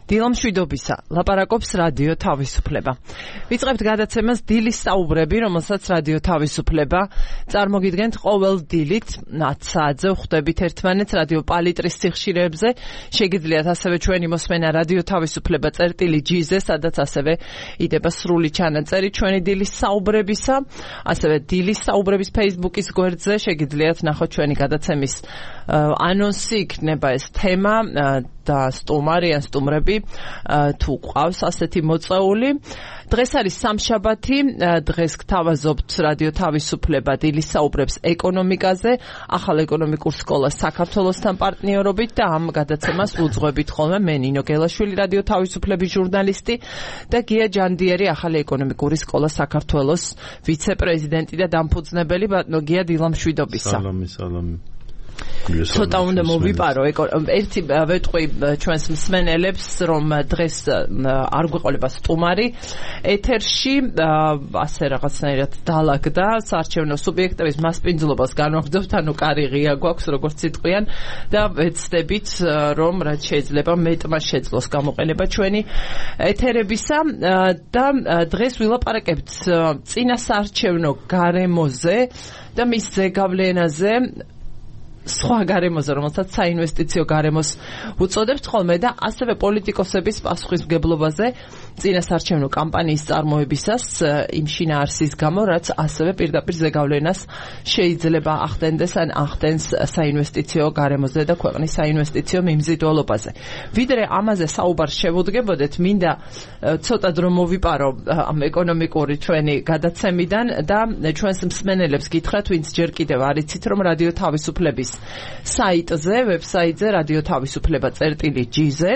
დილამშვიდობისა, ლაპარაკობს რადიო თავისუფლება. ვიწყებთ გადაცემას დილის საუბრები, რომელსაც რადიო თავისუფლება წარმოგიდგენთ ყოველ დილით 10 საათზე ვხვდებით ერთმანეთს რადიო პალიტრის სიხშირეებზე. შეგიძლიათ ასევე ჩვენი მოსმენა რადიო თავისუფლება წერტილი.gz-ზე, სადაც ასევე იდება სრული ჩანაწერი ჩვენი დილის საუბრებისა, ასევე დილის საუბრების Facebook-ის გვერდზე შეგიძლიათ ნახოთ ჩვენი გადაცემის ანონსი, იქნება ეს თემა და სტუმარი ან სტუმრები თუ ყავს ასეთი მოწეული. დღეს არის სამშაბათი, დღეს გთავაზობთ რადიო თავისუფლება დილის საუბრებს ეკონომიკაზე, ახალ ეკონომიკურ სკოლას საქართველოსთან პარტნიორობით და ამ გადაცემას უძღვებით ხოლმე მე ნინო გელაშვილი, რადიო თავისუფლების ჟურნალისტი და გია ჯანდიერი, ახალი ეკონომიკური სკოლა საქართველოს ვიცე-პრეზიდენტი და დამფუძნებელი. ბატონო გია, დილამშვიდობისა. სალამი. ცოტა უნდა მოვიპარო, ერთი ვეტყვი ჩვენს მსმენელებს, რომ დღეს არ გვეყოლება სტუმარი ეთერში, ასე რაღაცნაირად დაალაგდა საარჩევნო სუბიექტების მასპინძლობას განვაგრძობთ, ანუ კარი ღია გვაქვს, როგორც იტყვიან და ვეცდებით, რომ რაც შეიძლება მეტმა შეძლოს გამოყენება ჩვენი ეთერებისა და დღეს ვილაპარაკებთ წინა საარჩევნო გარემოზე და მის ზეგავლენაზე, სხვა გარემოზე, რომელსაც საინვესტიციო გარემოს უწოდებთ ხოლმე და ასევე პოლიტიკოსების პასუხისმგებლობაზე წინა საარჩევნო კამპანიის წარმოებისას იმ შინაარსის გამო, რაც ასევე პირდაპირ ზეგავლენას შეიძლება ახდენდეს ან ახდენს საინვესტიციო გარემოზე და ქვეყნის საინვესტიციო მიმზიდველობაზე. ვიდრე ამაზე საუბარს შევუდგებოდეთ, მინდა ცოტა დრო მოვიპარო ამ ეკონომიკური ჩვენი გადაცემიდან და ჩვენს მსმენელებს გითხრათ, ვინც ჯერ კიდევ არ იცით, რომ რადიო თავისუფლების საიტზე, ვებსაიტზე რადიო თავისუფლება წერტილი.gz-ზე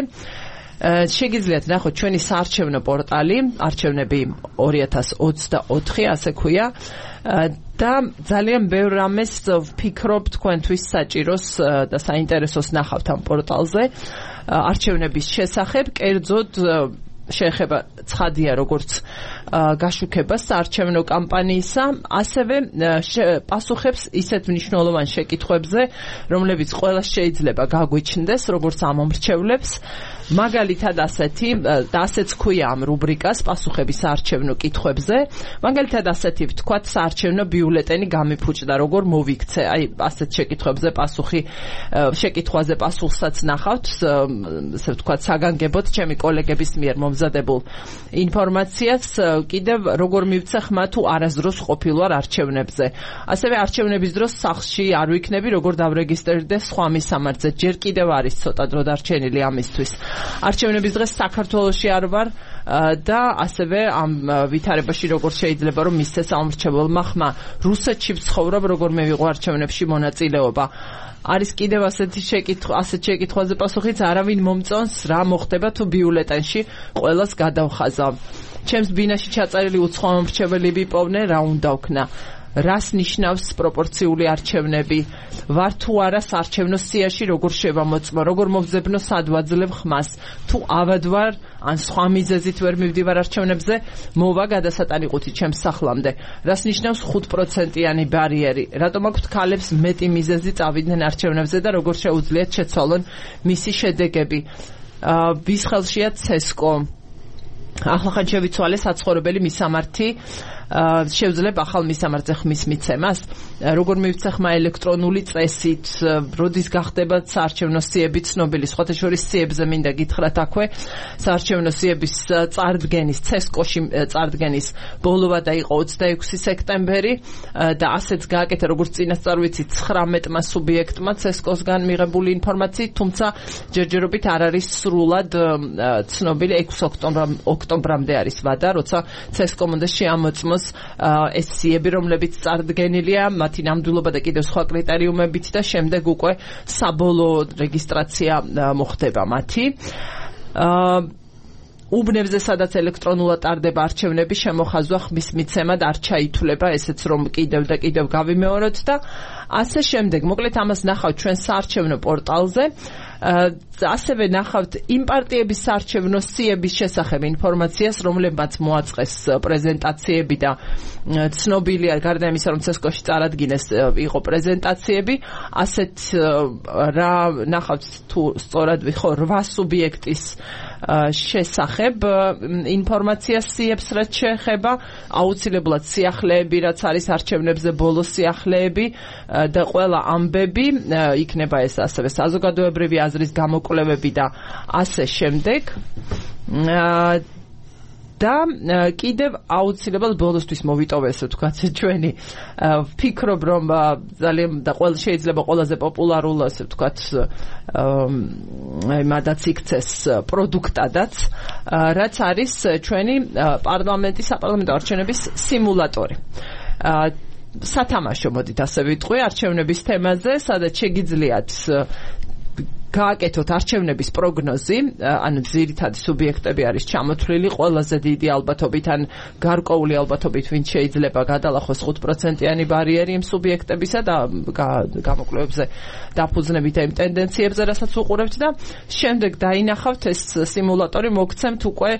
შეგიძლიათ ნახოთ ჩვენი საარჩევნო პორტალი, არჩევნები 2024, ასე ქვია. და ძალიან ბევრ რამეს ვფიქრობ თქვენთვის საჭიროს და საინტერესოს ნახავთ ამ პორტალზე არჩევნების შესახებ, კერძოდ შეეხება ცხადია როგორც გაშუქება საარჩევნო კამპანიისა, ასევე პასუხებს ისეთ მნიშვნელოვან შეკითხვებზე, რომლებიც ყველას შეიძლება გაგვიჩნდეს, როგორც ამომრჩევლებს. მაგალითად ასეც ქვია ამ რუბრიკას პასუხები საარჩევნო კითხვებზე. მაგალითად ასეთი ვთქვათ, საარჩევნო ბიულეტენი გამიფუჭდა, როგორ მოვიქცე. აი ასეთ შეკითხვებზე შეკითხვაზე პასუხსაც ნახავთ, ასე ვთქვათ, საგანგებოდ ჩემი კოლეგების მიერ მომზადებულ ინფორმაციას, კიდევ როგორ მივცე ხმა თუ არასდროს ყოფილვარ არჩევნებზე. ასევე არჩევნების დროს სახლში არ ვიქნები, როგორ დავრეგისტრირდე სხვა მისამართზე. ჯერ კიდევ არის ცოტა დრო დარჩენილი ამისთვის. არჩევნების დღეს საქართველოში არ ვარ და ასევე ამ ვითარებაში როგორ შეიძლება რომ მისცეს ამორჩეველმა ხმა. რუსეთში ვცხოვრობ, როგორ მივიღო არჩევნებში მონაწილეობა. არის კიდევ ასეთ შეკითხვაზე პასუხიც, არავინ მომწონს რა მოხდება თუ ბიულეტენში ყველას გადავხაზავ. ჩემს ბინაში ჩაწერილი უცხო ამორჩეველი ვიპოვნე, რა უნდა ვქნა. რას ნიშნავს პროპორციული არჩევნები, ვარ თუ არა საარჩევნო სიაში, როგორ შევამოწმო, როგორ მოვძებნო სად ვაძლევ ხმას, თუ ავად ვარ ან სხვა მიზეზით ვერ მივდივარ არჩევნებზე, მოვა გადასატანიყუთი ჩემს სახლამდე. რას ნიშნავს 5%-იანი ბარიერი, რატომ აქვთ ქალებს მეტი მიზეზი წავიდნენ არჩევნებზე და როგორ შეუძლიათ შეცვალონ მისი შედეგები. ვის ხელშია ცესკო, ახლახან შევიცვალე საცხოვრებელი მისამართი, შევძლებ ახალ მისამართზე ხმის მიცემას, როგორ მივცე ხმა ელექტრონული წესით, როდის გახდება საარჩევნო სიები ცნობილი, სხვათა შორის სიებზე მინდა გითხრათ აქვე, საარჩევნო სიების წარდგენის, ცესკოში წარდგენის ბოლოვა იყო 26 სექტემბერი და ასეც გააკეთა, როგორც წინასწარ ვიცით, 19-მა სუბიექტმა ცესკოსგან მიღებული ინფორმაციით, თუმცა ჯერჯერობით არ არის სრულად ცნობილი. 6 ოქტომბრამდე არის ვადა, როცა ცესკომ უნდა შეამოწმოს ეს სიები, რომლებიც წარდგენილია, მათი ნამდვილობა და კიდევ სხვა კრიტერიუმებით და შემდეგ უკვე საბოლოო რეგისტრაცია მოხდება მათი. უბნებზე, სადაც ელექტრონულად ტარდება არჩევნები, შემოხაზვა ხმის მიცემად არ ჩაითვლება, ესეც რომ კიდევ და კიდევ გავიმეოროთ და ასე შემდეგ. მოკლედ ამას ნახავთ ჩვენ საარჩევნო პორტალზე. ასევე ნახავთ იმ პარტიების საარჩევნო სიების შესახებ ინფორმაციას, რომლებმაც მოაწყეს პრეზენტაციები და ცნობილია, გარდა იმისა, რომ ცესკოში წარადგინეს იყო პრეზენტაციები, ასეთ რა ნახავთ თუ სწორად ვიხო 8 სუბიექტის შესახებ ინფორმაციას სიებს რაც შეეხება აუცილებლად სიახლეები რაც არის არჩევნებზე ბოლოს სიახლეები და ყველა ამბები იქნება ეს ასევე საზოგადოებრივი აზრის გამოკვლევები და ასე შემდეგ და კიდევ აუცილებლად ბოლოსთვის მოვიტოვე ესე ვთქვათ ჩვენი ვფიქრობ რომ ძალიან და შეიძლება ყველაზე პოპულარულ ასე ვთქვათ მადაც იქცეს პროდუქტადაც რაც არის ჩვენი საპარლამენტო არჩევნების სიმულატორი სათამაშო მოდით ასე ვიტყვი არჩევნების თემაზე სადაც შეგიძლიათ გააკეთოთ არჩევნების პროგნოზი, ანუ ძირითადი სუბიექტები არის ჩამოთვლილი, ყველაზე დიდი ალბათობით ან გარკვეული ალბათობით ვინც შეიძლება გადალახოს 5%-იანი ბარიერი იმ სუბიექტებისა და გამოკვლევებზე დაფუძნებით იმ ტენდენციებზე, რასაც უყურებთ და შემდეგ დაინახავთ ეს სიმულატორი მოგცემთ უკვე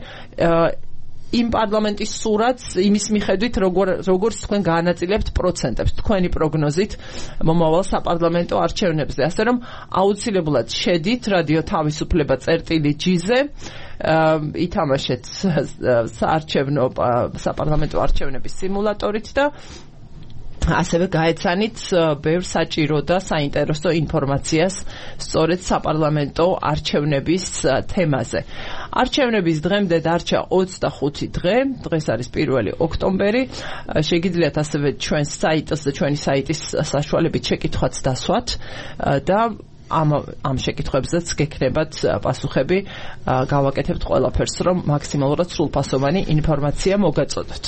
იმ პარლამენტის სურათს იმის მიხედვით როგორც თქვენ გაანაწილებთ პროცენტებს თქვენი პროგნოზით მომავალ საპარლამენტო არჩევნებზე ასე რომ აუცილებლად შედით რადიო თავისუფლება წერტილი G-ზე ითამაშეთ საპარლამენტო არჩევნების სიმულატორით და ასევე გაეცანით ბევრ საჭირო და საინტერესო ინფორმაციას სწორედ საპარლამენტო არჩევნების თემაზე. არჩევნების დღემდე დარჩა 25 დღე, დღეს არის 1 ოქტომბერი. შეგიძლიათ ასევე ჩვენ საიტს და ჩვენი საიტის საშუალებით შეკითხვაც დასვათ და ამ შეკითხვებზეც გექნებათ პასუხები, გავაკეთებთ ყველაფერს, რომ მაქსიმალურად სრულფასოვანი ინფორმაცია მოგაწოდოთ.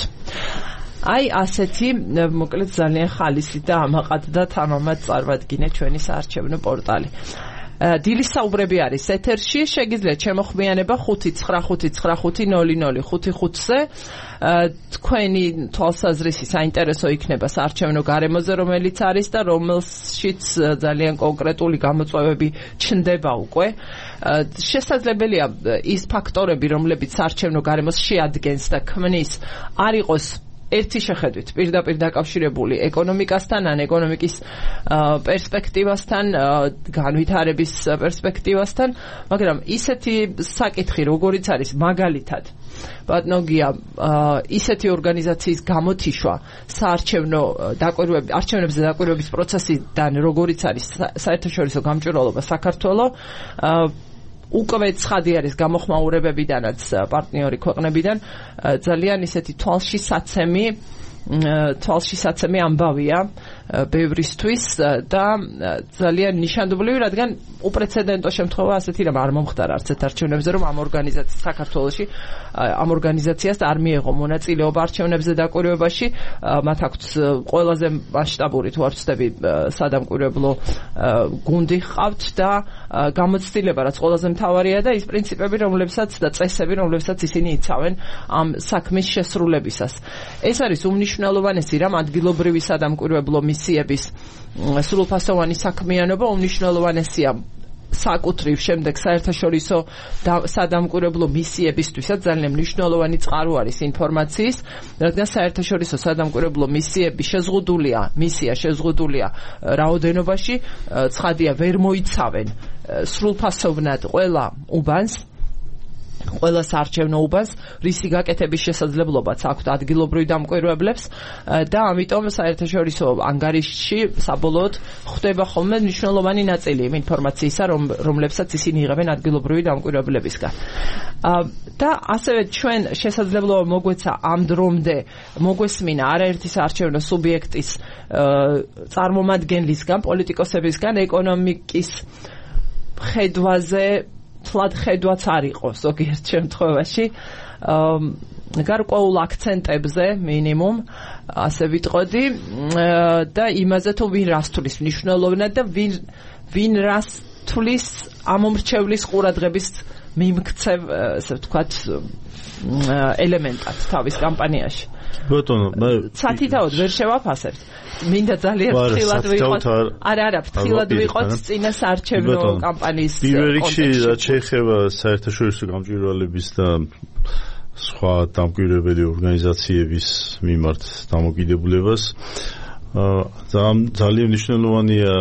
აი ასეთი მოკლედ ძალიან ხალისი და ამაყად და თამამად წარვადგინე ჩვენი საარჩევნო პორტალი. დილის საუბრები არის ეთერში, შეგიძლიათ შემოხმიანება 595500555-ზე. თქვენი თვალსაზრისი საინტერესო იქნება საარჩევნო გარემოზე, რომელიც არის და რომელშიც ძალიან კონკრეტული გამოწვევები ჩნდება უკვე. შესაძლებელია ის ფაქტორები, რომლებიც საარჩევნო გარემოს შეადგენს და ქმნის, არ იყოს ერთი შეხედვით პირდაპირ დაკავშირებული ეკონომიკასთან ან ეკონომიკის პერსპექტივასთან, განვითარების პერსპექტივასთან, მაგრამ ისეთი საკითხი, როგორიც არის მაგალითად ბატონოგია ისეთი ორგანიზაციის გამოთიშვა არჩევნებზე დაკვირვების პროცესიდან, როგორიც არის საერთაშორისო გამჭვირვალობა საქართველო, უკვე ცხადი არის გამოხმაურებებიდანაც პარტნიორი ქვეყნებიდან ძალიან ისეთი თვალში საცემი ამბავია ბევრისთვის და ძალიან ნიშანდობლივი, რადგან უპრეცედენტო შემთხვევა ასეთი რამ არ მომხდარა არც ერთ არჩევნებზე, რომ ამ საქართველოში ამ ორგანიზაციას არ მიეღო მონაწილეობა არჩევნებზე დაკვირვებაში, მათ აქვთ ყველაზე მასშტაბური თუ არ ვცდები სადამკვირვებლო გუნდი ჰყავთ და გამოცდილება, რაც ყველაზე მთავარია და ის პრინციპები, რომლებსაც და წესები, რომლებსაც ისინი იცავენ ამ საქმის შესრულებისას. ეს არის უმნიშვნელოვანესი რამ ადგილობრივი სადამკვირვებლო მისიების სრულფასოვანი საქმიანობა უმნიშვნელოვანესია საკუთრივ შემდეგ საერთაშორისო სადამკვირვებლო მისიებისთვისაც ძალიან მნიშვნელოვანი წყარო არის ინფორმაციის, რადგან საერთაშორისო სადამკვირვებლო მისია შეზღუდულია რაოდენობაში, ცხადია ვერ მოიცავენ სრულფასოვნად ყველა უბანს, ყველა საარჩევნო უბანს, რისი გაკეთების შესაძლებლობაც აქვთ ადგილობრივ დამკვირვებლებს და ამიტომ საერთაშორისო ანგარიშში საბოლოოდ ხდება ხოლმე მნიშვნელოვანი ნაწილი იმ ინფორმაციისა, რომლებსაც ისინი იღებენ ადგილობრივი დამკვირვებლებისგან. და ასევე ჩვენ შესაძლებლობა მოგვეცა ამ დრომდე მოგვესმინა არაერთი საარჩევნო სუბიექტის წარმომადგენლისგან, პოლიტიკოსებისგან ეკონომიკის ხედვაზე თლად ხედვაც არ იყო ზოგიერთ შემთხვევაში გარკვეულ აქცენტებზე მინიმუმ ასე ვიტყოდი და იმაზე თუ ვინ რას თulis მნიშვნელოვნად და ვინ რას თulis ამომრჩევლის ყურადღების მიმქცევ ასე ვთქვათ ელემენტად თავის კამპანიაში. ბატონო, სათითაოდ ვერ შევაფასებთ. მინდა ძალიან ფრთხილად ვიყოთ. არა, ფრთხილად ვიყოთ წინა საარჩევნო კამპანიის კონტექსტში. პირველ რიგში რაც შეეხება საერთაშორისო გამჭვირვალების და სხვა დამკვირვებელი ორგანიზაციების მიმართ დამოკიდებულებას, ძალიან მნიშვნელოვანია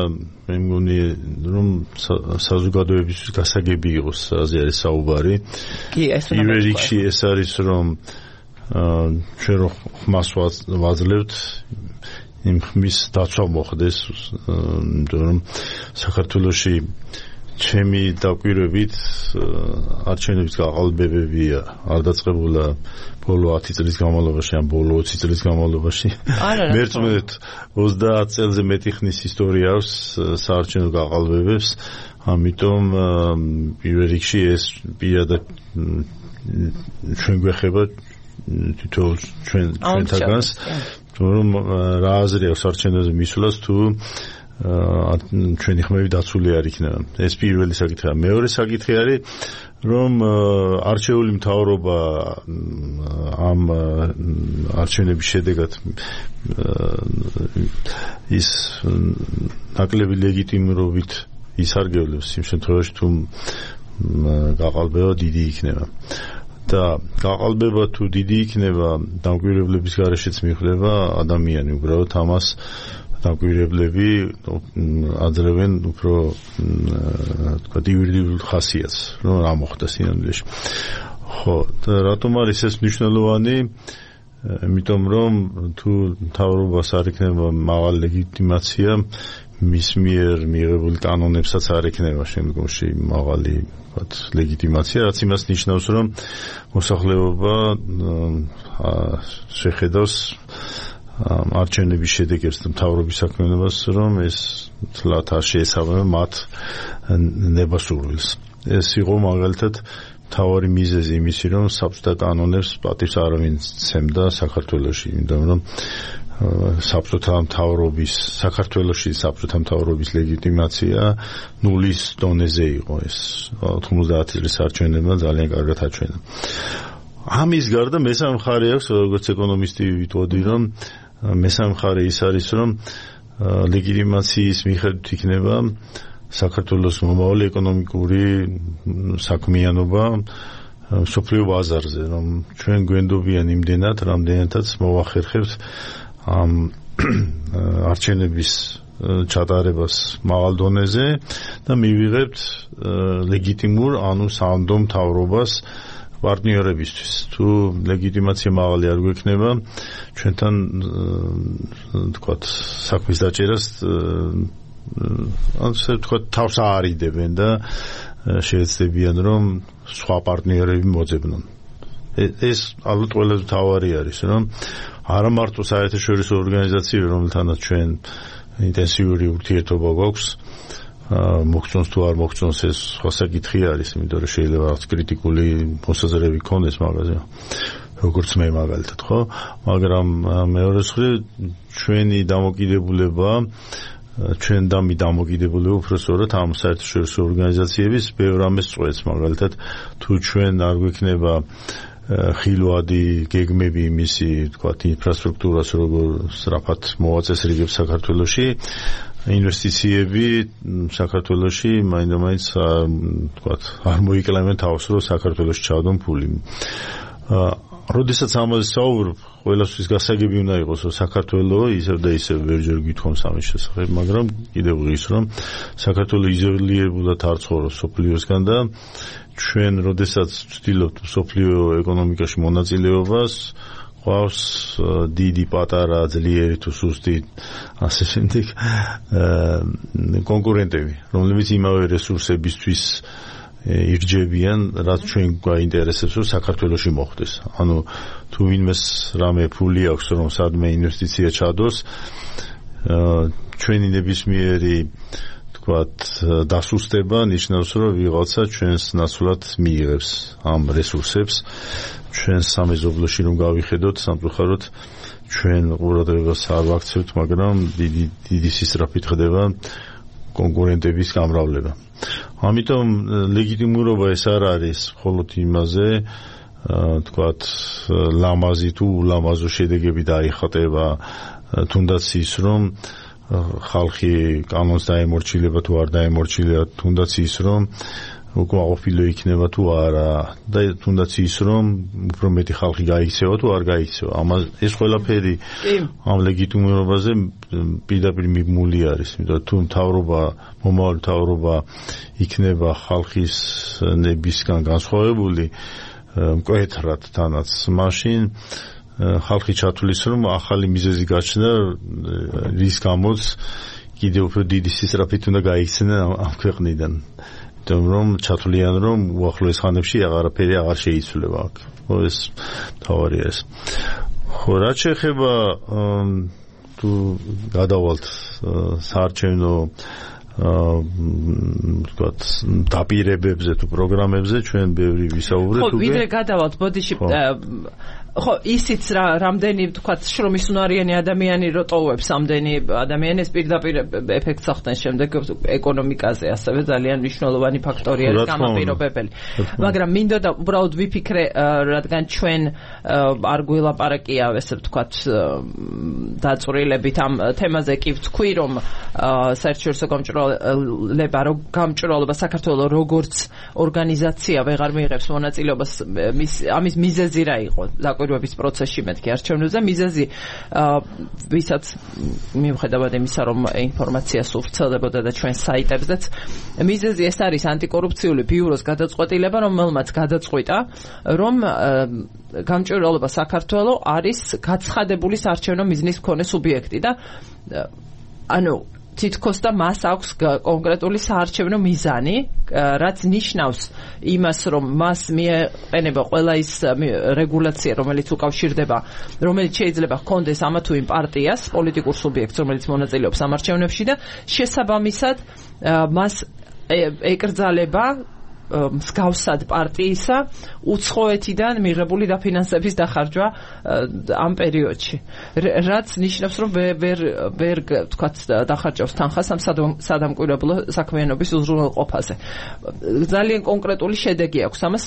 მე მგონი რომ საზოგადოებისთვის გასაგები იყოს აზე არის საუბარი. კი, ეს პირველ რიგში ეს არის რომ ჩვენ რო ხმას ვაძლევთ იმ ხმის დაცვა მოხდეს, იმიტომ რომ საქართველოში ჩემი დაკვირვებით არჩევნების გაყალბებები არ დაწყებულა ბოლო 10 წლის განმავლობაში ან ბოლო 20 წლის განმავლობაში. მერწმუნეთ 30 წელზე მეტი ხნის ისტორია აქვს საარჩევნო გაყალბებებს, ამიტომ პირველ რიგში ეს პირადად ჩვენ გვეხება თითოეულ ჩვენთაგანს, რომ რა აზრი აქვს არჩევნებზე მისვლას თუ ჩვენი ხმები დაცული არ იქნება. ეს პირველი საკითხია. მეორე საკითხი არის რომ არჩეული მთავრობა ამ არჩევნების შედეგად ის ნაკლები ლეგიტიმურობით ისარგებლებს იმ შემთხვევაში თუ გაყალბება დიდი იქნება. და გაყალბება თუ დიდი იქნება, დამკვირვებლების გარეშეც მიხვდება ადამიანი უბრალოდ ამას დამკვირვებლები აძლევენ უფრო თქვა იურიდიულ ხასიათს, რომ რა მოხდა სინამდვილეში. ხო, და რატომ არის ეს მნიშვნელოვანი? იმიტომ რომ თუ მთავრობას არ იქნება მაღალი ლეგიტიმაცია, მის მიერ მიღებული კანონებსაც არ იქნება შემდგომში მაღალი ლეგიტიმაცია, რაც იმას ნიშნავს, რომ მოსახლეობა შეხედავს არჩევნების შედეგებს და მთავრობის საქმიანობას, რომ ეს თლათ არ შეესაბამება მათ ნებასურვილს. ეს იყო მაგალითად მთავარი მიზეზი იმისი, რომ საბჭოთა კანონებს პატივს არავინ სცემდა საქართველოში, იმიტომ რომ საქართველოში საბჭოთა მთავრობის ლეგიტიმაცია ნულის დონეზე იყო. ეს 90 წლის არჩევნებმა ძალიან კარგად აჩვენა. ამის გარდა მესამე მხარე აქვს, როგორც ეკონომისტი ვიტყოდი, რომ მესამე მხარე ის არის, რომ ლეგიტიმაციის მიხედვით იქნება საქართველოს მომავალი ეკონომიკური საქმიანობა მსოფლიო ბაზარზე, რომ ჩვენ გვენდობიან იმდენად, რამდენადაც მოვახერხებთ ამ არჩევნების ჩატარებას მაღალ დონეზე და მივიღებთ ლეგიტიმურ, ანუ სანდო მთავრობას პარტნიორებისთვის. თუ ლეგიტიმაცია მაღალი არ გვექნება, ჩვენთან თქვათ საქმის დაჭერას ასე თქვათ თავს აარიდებენ და შეეცდებიან რომ სხვა პარტნიორები მოძებნონ. ეს ალბათ ყველაზე მთავარი არის, რომ არა მარტო საერთაშორისო ორგანიზაციები, რომელთანაც ჩვენ ინტენსიური ურთიერთობა გვაქვს, მოგწონს თუ არ მოგწონს ეს სხვა საკითხი არის, იმიტომ რომ შეიძლება რაღაც კრიტიკული მოსაზრებები გქონდეს მაგაზე, როგორც მე მაგალითად, ხო? მაგრამ მეორე მხრივ ჩვენი დამოკიდებულება, ჩვენ დამოკიდებულება უფრო სწორად ამ საერთაშორისო ორგანიზაციების ბევრ ამას წვეთს, მაგალითად თუ ჩვენ არ გვექნება ხილვადი გეგმები იმისი, თქვათ, ინფრასტრუქტურას როგორ სწრაფად მოვაწესრიგებს საქართველოში, ინვესტიციები საქართველოში მაინც თქვათ არ მოიკლავენ თავს, რომ საქართველოში ჩავდონ ფული. როდესაც ამაზე საუბრობ, ყველასთვის გასაგები უნდა იყოს, რომ საქართველო ისევ და ისევ ვერჯერ გვითხოვს ამის შესახებ, მაგრამ კიდევ ღირს, რომ საქართველო იზოლირებულად არ ცხოვრობს სოფლიოსგან და ჩვენ როდესაც ვცდილობთ სოფლიო ეკონომიკაში მონაწილეობას, ყავს დიდი, პატარა, ძლიერი თუ სუსტი ასე შემდეგ კონკურენტები, რომლებიც იმავე რესურსებისთვის ირჯებიან, რაც ჩვენ გვაინტერესებს, რომ საქართველოში მოხდეს. ანუ თუ ვინმეს რამე ფული აქვს, რომ სადმე ინვესტიცია ჩადოს, ჩვენი ნებისმიერი თქვათ დასუსტება ნიშნავს, რომ ვიღაცა ჩვენს ნაცვლად მიიღებს ამ რესურსებს. ჩვენ სამეზობლოში რომ გავიხედოთ, სამწუხაროდ ჩვენ ყურადღებას არ ვაქცევთ, მაგრამ დიდი სისწრაფით ხდება კონკურენტების გამრავლება. ამიტომ ლეგიტიმურობა ეს არ არის მხოლოდ იმაზე, თქვათ ლამაზი თუ ულამაზო შედეგები დაიხატება, თუნდაც ის რომ ხალხი კანონს დაემორჩილება თუ არ დაემორჩილება, თუნდაც ის რომ უკმაყოფილო იქნება თუ არა და თუნდაც ის რომ უფრო მეტი ხალხი გაიქცევა თუ არ გაიქცევა. ამას ეს ყველაფერი ამ ლეგიტიმურობაზე პირდაპირ მიბმული არის, იმიტომ თუ მთავრობა, მომავალი მთავრობა იქნება ხალხის ნებისგან განსხვავებული მკვეთრად თანაც, მაშინ ხალხი ჩათვლის რომ ახალი მიზეზი გაჩნდა, რის გამოც კიდევ უფრო დიდი სისწრაფით უნდა გაიქცნენ ამ ქვეყნიდან. რომ ჩათვლიან რომ უახლოეს ხანებში აღარაფერი აღარ შეიცვლება აქ. ხო ეს თავარია ეს. ხო რაც შეეხება თუ გადავალთ საარჩევნო ვთქვათ დაპირებებზე თუ პროგრამებზე ჩვენ ბევრი ვისაუბრეთ უკვე. ხო ვიდრე გადავალთ ბოდიში ხო ისიც რამდენი ვთქვათ შრომის უნარიანი ადამიანი რო ტოვებს ამდენი ადამიანის პირდაპირ ეფექტს ახდენს შემდეგ ეკონომიკაზე ასევე ძალიან მნიშვნელოვანი ფაქტორი არის გამაპირობებელი. მაგრამ მინდოდა უბრალოდ ვიფიქრე რადგან ჩვენ არ გვილაპარაკია ესე ვთქვათ დაწვრილებით ამ თემაზე კი ვთქვი რომ საერთაშორისო გამჭვირვალობა საქართველოს როგორც ორგანიზაცია ვეღარ მიიღებს მონაწილეობას ამის მიზეზი რა იყო დაკვირვების პროცესში მეთქი არჩევნებზე მიზეზი ვისაც მიუხედავად იმისა რომ ინფორმაცია სულ ვრცელდებოდა და ჩვენ საიტებზეც მიზეზი ეს არის ანტიკორუფციული ბიუროს გადაწყვეტილება რომელმაც გადაწყვიტა რომ გამჭვირვალობა საქართველოს არის გაცხადებული საარჩევნო მიზნის მქონე სუბიექტი და ანუ თითქოს და მას აქვს კონკრეტული საარჩევნო მიზანი, რაც ნიშნავს იმას, რომ მას მიეყენება ყველა ის რეგულაცია, რომელიც უკავშირდება, რომელიც შეიძლება ჰქონდეს ამა თუ იმ პარტიას, პოლიტიკურ სუბიექტს, რომელიც მონაწილეობს ამ არჩევნებში და შესაბამისად მას ეკრძალება მსგავსად პარტიისა უცხოეთიდან მიღებული დაფინანსების დახარჯვა ამ პერიოდში. რაც ნიშნავს, რომ ვერ თქვათ დახარჯავს თანხას ამ სადამკვირვებლო საქმიანობის უზრუნველყოფაზე. ძალიან კონკრეტული შედეგი აქვს ამას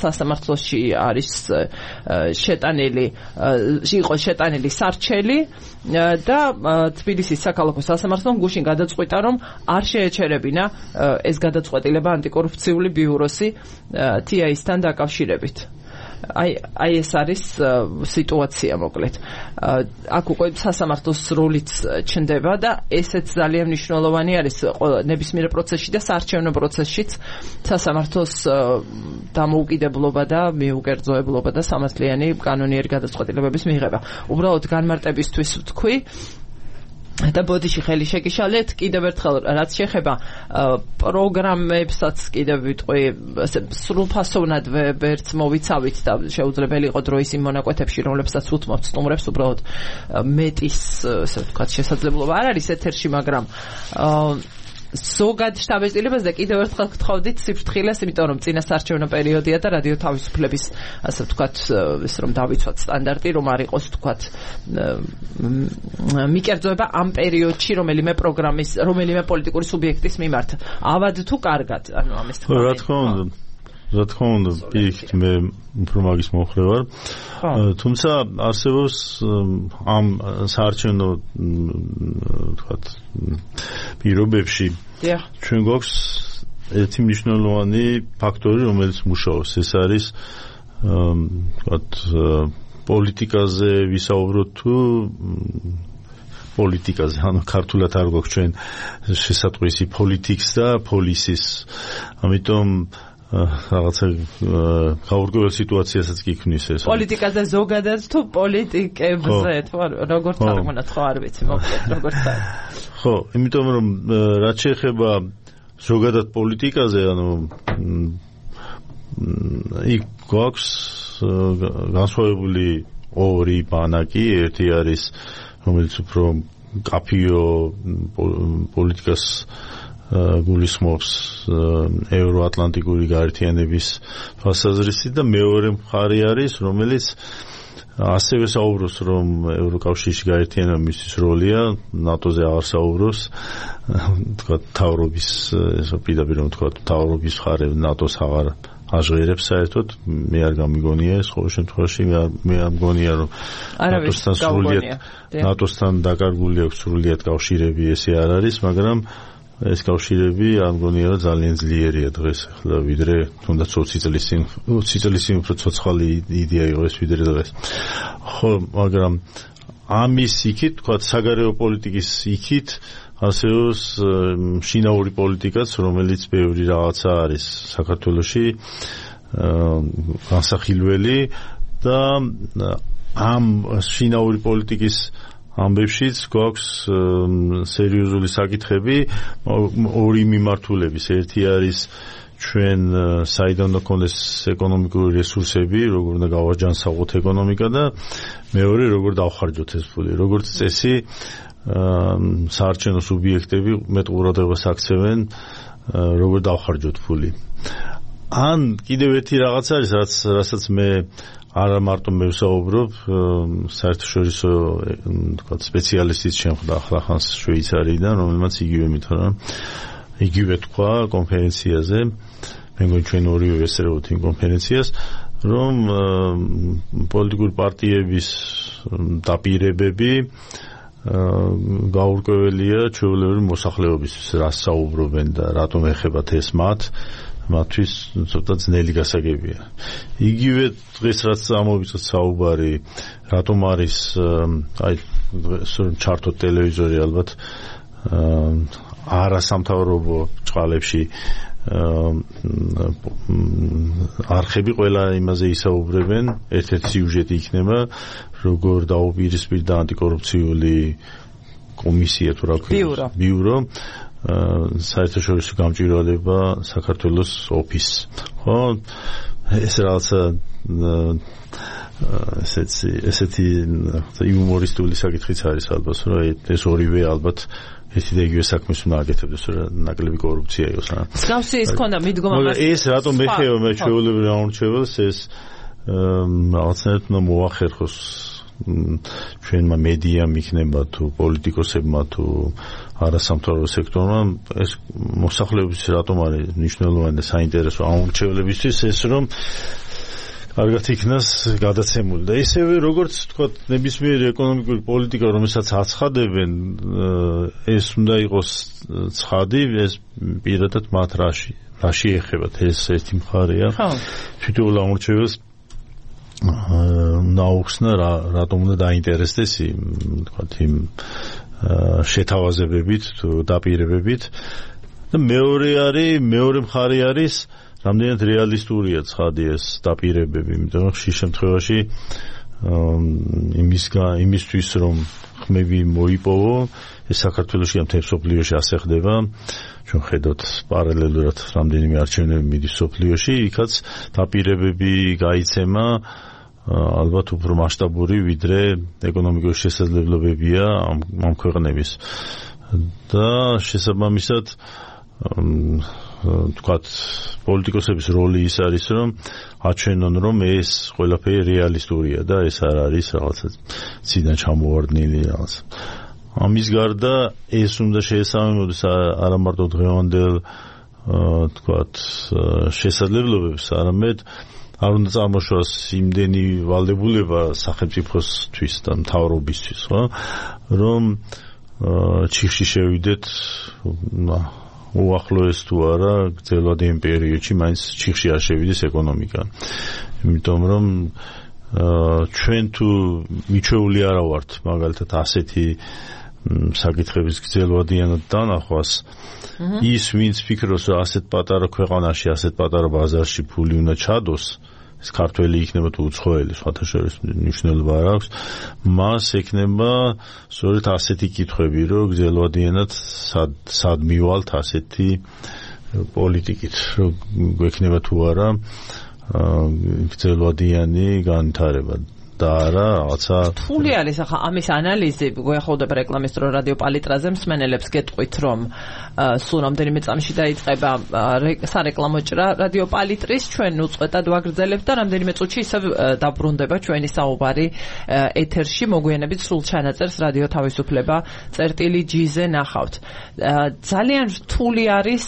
სასამართლოში არის იყო შეტანილი სარჩელი და თბილისის საქალაქო სასამართლომ გუშინ გადაწყვიტა, რომ არ შეეჩერებინა ეს გადაწყვეტილება ანტიკორუფციული ბიუროსი TIS-თან დაკავშირებით. აი ეს არის სიტუაცია მოკლედ. აქ უკვე სასამართლოს როლიც ჩნდება და ესეც ძალიან მნიშვნელოვანი არის ნებისმიერ პროცესში და საარჩევნო პროცესშიც სასამართლოს დამოუკიდებლობა და მიუკერძოებლობა და სამართლიანი კანონიერი გადაწყვეტილებების მიღება. უბრალოდ განმარტებისთვის ვთქვი და ბოდიში ხელი შეკიშალეთ კიდევ ერთხელ რაც შეეხება პროგრამებსაც კიდევ ვიტყვი სრულფასოვნად ვერც მოვიცავით და შეუძლებელი იყო დროის იმ მონაკვეთებში რომლებსაც უთმობთ სტუმრებს უბრალოდ მეტის ასე ვთქვათ შესაძლებლობა არ არის ეთერში მაგრამ ზოგად შტაბ-ეწილებას და კიდევ ერთხელ გთხოვდით სიფრთხილეს, იმიტომ რომ წინასაარჩევნო პერიოდია და რადიო თავისუფლების ასე ვთქვათ ეს რომ დავიცვათ სტანდარტი, რომ არ იყოს ვთქვათ მიკერძოება ამ პერიოდში რომელიმე პროგრამის, რომელიმე პოლიტიკური სუბიექტის მიმართ. ავად თუ კარგად, ანუ ამის თქმა. რა თქმა უნდა, პირიქით მე უფრო მაგის მომხრე ვარ. თუმცა არსებობს ამ საარჩევნო ვთქვათ პირობებში ჩვენ გვაქვს ერთი მნიშვნელოვანი ფაქტორი, რომელიც მუშაობს. ეს არის ვთქვათ პოლიტიკაზე ვისაუბროთ თუ პოლიტიკაზე, ანუ ქართულად არ გვაქვს ჩვენ შესატყვისი politics და policies. ამიტომ რაღაცა გაურკვეველ სიტუაციასაც კი ქმნის ეს. პოლიტიკაზე ზოგადად თუ პოლიტიკებზე თუ როგორც წარმონაცხო არ ვიცი, მოკლედ როგორც არის. ხო, იმიტომ რომ რაც შეეხება ზოგადად პოლიტიკაზე, ანუ იქ გვაქვს განსხვავებული ორი ბანაკი, ერთი არის რომელიც უფრო კაფიო პოლიტიკას გულისხმობს ევროატლანტიკური გაერთიანების თვალსაზრისით და მეორე მხარე არის რომელიც ასევე საუბრობს რომ ევროკავშირში გაერთიანება მისთვის როლია ნატოზე აღარ საუბრობს თქვა თავრობის ესო პირდაპირ რომ თქვა თავრობის მხარე ნატოს აღარ აჟღერებს საერთოდ მე არ გამიგონია ეს ყოველ შემთხვევაში მე არ მგონია რომ ნატოსთან დაკარგული აქვს სრულიად კავშირები ესე არ არის მაგრამ ეს კავშირები არ მგონია რომ ძალიან ძლიერია დღეს ახლა ვიდრე თუნდაც 20 წლის წინ უფრო ცოცხალი იდეა იყო ეს ვიდრე დღეს. ხო, მაგრამ ამის იქით, თქვა საგარეო პოლიტიკის იქით ასეოს შინაური პოლიტიკაც, რომელიც ბევრი რაღაცა არის საქართველოში განსახილველი და ამ შინაური პოლიტიკის ამბებშიც გვაქვს სერიოზული საკითხები ორი მიმართულების. ერთი არის ჩვენ საიდან უნდა გქონდეს ეკონომიკური რესურსები, როგორ უნდა გავაჯანსაღოთ ეკონომიკა და მეორე როგორ დავხარჯოთ ეს ფული. როგორც წესი საარჩევნო სუბიექტები მეტ ყურადღებას აქცევენ როგორ დავხარჯოთ ფული. ან კიდევ ერთი რაღაც არის, რასაც მე არა მარტო მე ვსაუბრობ, საერთაშორისო თქვა სპეციალისტიც შემხვდა ახლახანს შვეიცარიიდან, რომელმაც იგივე მითხრა, იგივე თქვა კონფერენციაზე, მე მგონი ჩვენ ორივე ვესწრებოთ იმ კონფერენციას, რომ პოლიტიკური პარტიების დაპირებები გაურკვეველია ჩვეულებრივი მოსახლეობისთვის, რას საუბრობენ და რატომ ეხებათ ეს მათთვის ცოტა ძნელი გასაგებია. იგივე დღეს რაც ამოვიწყოთ საუბარი, რატომ არის აი ჩართოთ ტელევიზორი ალბათ არასამთავრობო ჭყალებში არხები ყველა იმაზე ისაუბრებენ, ერთ-ერთი სიუჟეტი იქნება, როგორ დაუპირისპირდა ანტიკორუფციული კომისია თუ რა ქვია, ბიურო საერთაშორისო გამჭვირვალება საქართველოს ოფისს. ხო, ეს რაღაცა ესეთი იუმორისტული საკითხიც არის ალბათ, რომ ეს ორივე ალბათ ერთი და იგივე საქმეს უნდა აკეთებდეს, რომ ნაკლები კორუფცია იყოს. მსგავსი ის ქონდა მიდგომა. ეს რატომ ეხება მე ჩვეულებრივ ამორჩეველს, ეს რაღაცნაირად უნდა მოახერხოს ჩვენმა მედიამ იქნება თუ პოლიტიკოსებმა თუ არასამთავრობო სექტორმა, ეს მოსახლეობის რატომ არის მნიშვნელოვანი და საინტერესო ამორჩევლებისთვის ეს, რომ კარგად იქნას გადაცემული და ისევე როგორც თქვა ნებისმიერი ეკონომიკური პოლიტიკა, რომელსაც აცხადებენ, ეს უნდა იყოს ცხადი, ეს პირადად მათ რაში ეხებათ, ეს ერთი მხარეა. თვითონ ამორჩეველს ნაუხსნა რატომ უნდა დაინტერესდეს იმ შეთავაზებებით თუ დაპირებებით და მეორე მხარე არის რამდენად რეალისტურია ცხადი ეს დაპირებები, იმიტომ რომ ხშირ შემთხვევაში იმისთვის რომ ხმები მოიპოვო, ეს საქართველოში ამ სოფლიოში ასე ხდება, ჩვენ ხედავთ პარალელურად რამდენიმე არჩევნები მიდის სოფლიოში, იქაც დაპირებები გაიცემა ალბათ უფრო მასშტაბური ვიდრე ეკონომიკური შესაძლებლობებია ამ ქვეყნების და შესაბამისად თქვათ პოლიტიკოსების როლი ის არის, რომ აჩვენონ, რომ ეს ყველაფერი რეალისტურია და ეს არ არის რაღაცა ციდან ჩამოვარდნილი რაღაც. ამის გარდა ეს უნდა შეესაბამებოდეს არა მარტო დღევანდელ თქვათ შესაძლებლობებს, არამედ არ უნდა წარმოშოს იმდენი ვალდებულება სახელმწიფოსთვის და მთავრობისთვის, ხო, რომ ჩიხში შევიდეთ უახლოეს თუ არა გრძელვად იმ პერიოდში მაინც ჩიხში არ შევიდეს ეკონომიკა. იმიტომ რომ ჩვენ თუ მიჩვეული არა ვართ მაგალითად ასეთი საკითხების გრძელვადიანად დანახვას, ის ვინც ფიქრობს რომ ასეთ პატარა ქვეყანაში, ასეთ პატარა ბაზარში ფული უნდა ჩადოს, ეს ქართველი იქნება თუ უცხოელი, სხვათა შორის მნიშვნელობა არ აქვს, მას ექნება სწორედ ასეთი კითხვები, რომ გრძელვადიანად სად მივალთ ასეთი პოლიტიკით, რომ გვექნება თუ არა გრძელვადიანი განვითარება და არა რაღაცა რთული არის ახლა ამის ანალიზი. გვეხავდება რეკლამის დრო რადიო პალიტრაზე, მსმენელებს გეტყვით, რომ სულ რამდენიმე წამში დაიწყება სარეკლამო ჭრა რადიო პალიტრის, ჩვენ უწყვეტად ვაგრძელებთ და რამდენიმე წუთში ისევ დაბრუნდება ჩვენი საუბარი ეთერში. მოგვიანებით სულ ჩანაწერს რადიო თავისუფლება წერტილი.gz-ზე ნახავთ. ძალიან რთული არის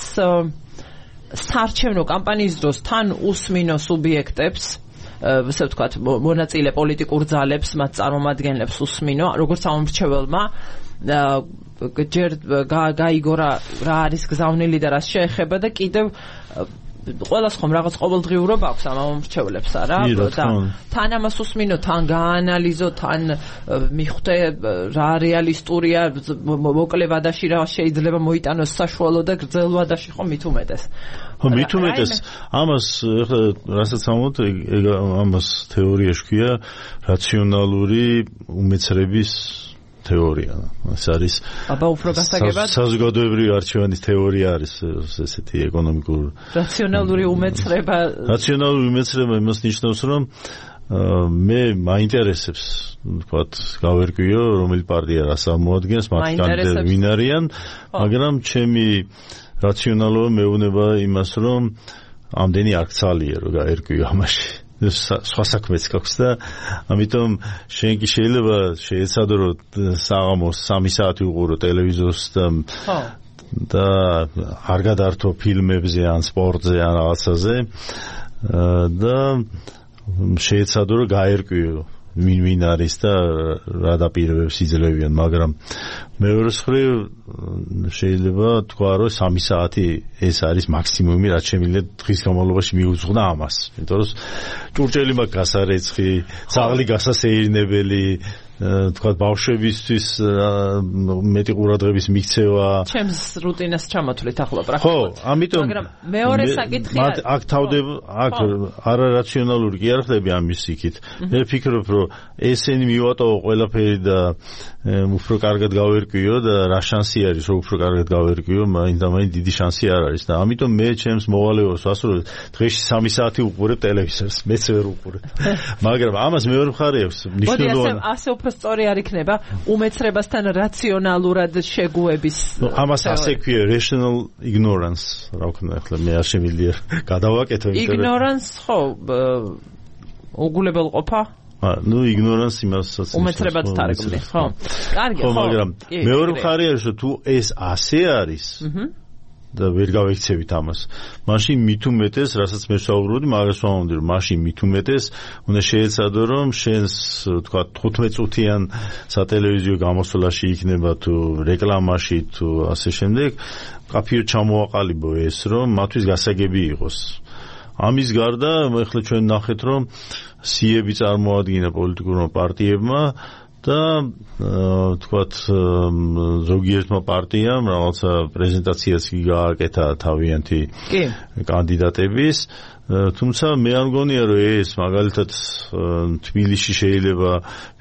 საარჩევნო კამპანიის დროს თან უსმინო სუბიექტებს ესე ვთქვათ, მონაწილე პოლიტიკურ ძალებს, მათ წარმომადგენლებს უსმინო, როგორც ამომრჩეველმა ჯერ გაიგო რა არის გზავნილი და რას შეეხება და კიდევ ყველას ხომ რაღაც ყოველდღიურობა აქვს ამ ამომრჩევლებს არა და თან ამას უსმინო, თან გაანალიზო, თან მიხვდე რა რეალისტურია, მოკლე ვადაში რა შეიძლება მოიტანოს საშუალო და გრძელ ვადაში ხომ მით უმეტეს. ხო, მით უმეტეს ამას ეხლა რასაც ამოთ, ამას თეორიაში ქვია რაციონალური უმეცრების თეორია. ეს არის აბა უფრო გასაგებად საზოგადოებრივი არჩევანის თეორია არის ესეთი ეკონომიკური რაციონალური უმეცრება. რაციონალური უმეცრება იმას ნიშნავს, რომ მე მაინტერესებს ვთქვათ გავერკვიო რომელი პარტია რას ამოადგენს, მათ კანდიდატები ვინ არიან, მაგრამ ჩემი რაციონალობა მეუბნება იმას, რომ ამდენი არ გცალია რომ გაერკვიო ამაში. სხვა საქმეც გაქვს და ამიტომ შენ კი შეიძლება შეეცადო რომ საღამოს 3 საათი უყურო ტელევიზორს და არ გადართო ფილმებზე ან სპორტზე ან რაღაცაზე და შეეცადო რომ გაერკვიო ვინ არის და რა დაპირებებს იძლევიან, მაგრამ მეორე მხრივ შეიძლება თქვა რომ 3 საათი ეს არის მაქსიმუმი, რაც შემიძლია დღის განმავლობაში მიუძღვნა ამას. იმიტომ რომ ჭურჭელი მაქვს გასარეცხი, ძაღლი გასასეირნებელი, თქვა ბავშვებისთვის მეტი ყურადღების მიქცევა. ჩემს რუტინას ჩამოთვლით ახლა პრაქტიკულად. ხო, ამიტომ მაგრამ მეორე საკითხია აქ თავდება აქ არარაციონალური კი არ ხდები ამის იქით. მე ვფიქრობ რომ ესენი მივატოვო ყველაფერი და უფრო კარგად გავერკვიო და რა შანსი არის რომ უფრო კარგად გავერკვიო, მაინც დიდი შანსი არ არის და ამიტომ მე ჩემს მოვალეობას ვასრულებ დღეში 3 საათი უყურებ ტელევიზორს, მეც ვერ უყურებ. მაგრამ ამას მეორე მხარე აქვს, მნიშვნელოვანი. ასე უფრო სწორი არ იქნება უმეცრებასთან რაციონალურად შეგუების. ამას ასე ქვია rational ignorance, რა ვქნა ახლა მე არ შემიძლია გადავაკეთო იმიტომ რომ ignorance ხო უგულებელყოფა ignorance იმასაც უმეცრებად თარგმნი, ხო? კარგი, ხო, მაგრამ მეორე მხარე არის რომ თუ ეს ასე არის და ვერ გავექცევით ამას. მაშინ მით უმეტეს, რასაც მე ვსაუბრობდი, მაგას ვამბობდი, რომ მაშინ მით უმეტეს უნდა შეეცადო, რომ შენს, თქვა, 15 წუთიან სატელევიზიო გამოსვლაში იქნება თუ რეკლამაში თუ ასე შემდეგ, კაფეო ჩამოაყალიბო ეს, რომ მათთვის გასაგები იყოს. ამის გარდა, ეხლა ჩვენ ნახეთ, რომ სიები წარმოადგინა პოლიტიკურმა პარტიებმა და თქვათ ზოგიერთმა პარტიამ რაღაცა პრეზენტაციაც გააკეთა თავიანთი კანდიდატების, თუმცა მე არ მგონია რომ ეს მაგალითად თბილისში შეიძლება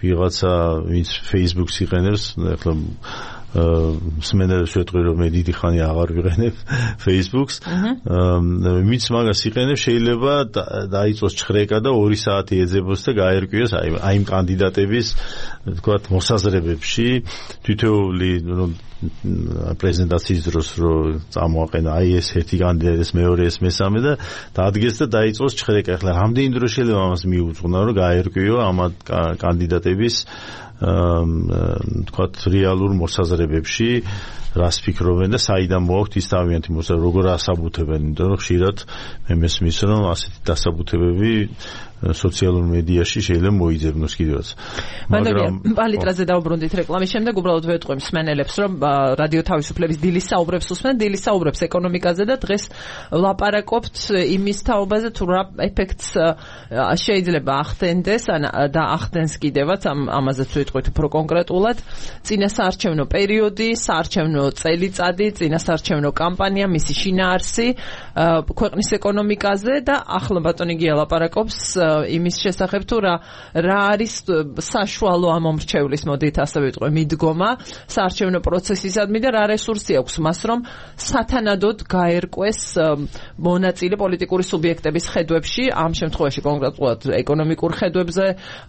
ვიღაცა ვინც Facebook-ს იყენებს, ეხლა მსმენელებს ვეთქვი რომ მე დიდი ხანი აღარ ვიყენებ Facebook-ს, ვინც მაგას იყენებს შეიძლება დაიწყოს ჩხრეკა და 2 საათი ეძებოს და გაერკვიოს აი იმ კანდიდატების თქვათ მოსაზრებებში, თითოეული პრეზენტაციის დროს რომ წამოაყენა აი ეს ერთი კანდიდატი, ეს მეორე, ეს მესამე და დადგეს და დაიწყოს ჩხრეკა. ახლა რამდენი დრო შეიძლება ამას მიუძღვნა რომ გაერკვიო ამ კანდიდატების თქვათ რეალურ მოსაზრებებში რას ფიქრობენ და საიდან მოაქვთ ის თავიანთი მოსაზრება, როგორ ასაბუთებენ, იმიტომ რომ ხშირად მე მესმის რომ ასეთი დასაბუთებები სოციალურ მედიაში შეიძლება მოიძებნოს კიდევაც. მაგრამ პალიტრაზე დავბრუნდით რეკლამის შემდეგ, უბრალოდ ვეთყვი მსმენელებს, რომ რადიო თავისუფლების დილის საუბრებს უსმენ, დილის საუბრებს ეკონომიკაზე და დღეს ვლაპარაკობთ იმის თაობაზე, თუ რა ეფექტს შეიძლება ახდენდეს და ახდენს კიდევაც, ამაზეც ვეთყვით უფრო კონკრეტულად, წინასაარჩევნო პერიოდი, საარჩევნო წელიწადი, წინასაარჩევნო კამპანია, მისი შინაარსი ქვეყნის ეკონომიკაზე და ახლა ბატონი გია ლაპარაკობს იმის შესახებ თუ რა არის საშუალო ამომრჩევლის, მოდით ასე ვიტყვი, მიდგომა საარჩევნო პროცესისადმი და რა რესურსი აქვს მას, რომ სათანადოდ გაერკვეს მონაწილე პოლიტიკური სუბიექტების ხედვებში, ამ შემთხვევაში კონკრეტულად ეკონომიკურ ხედვებზე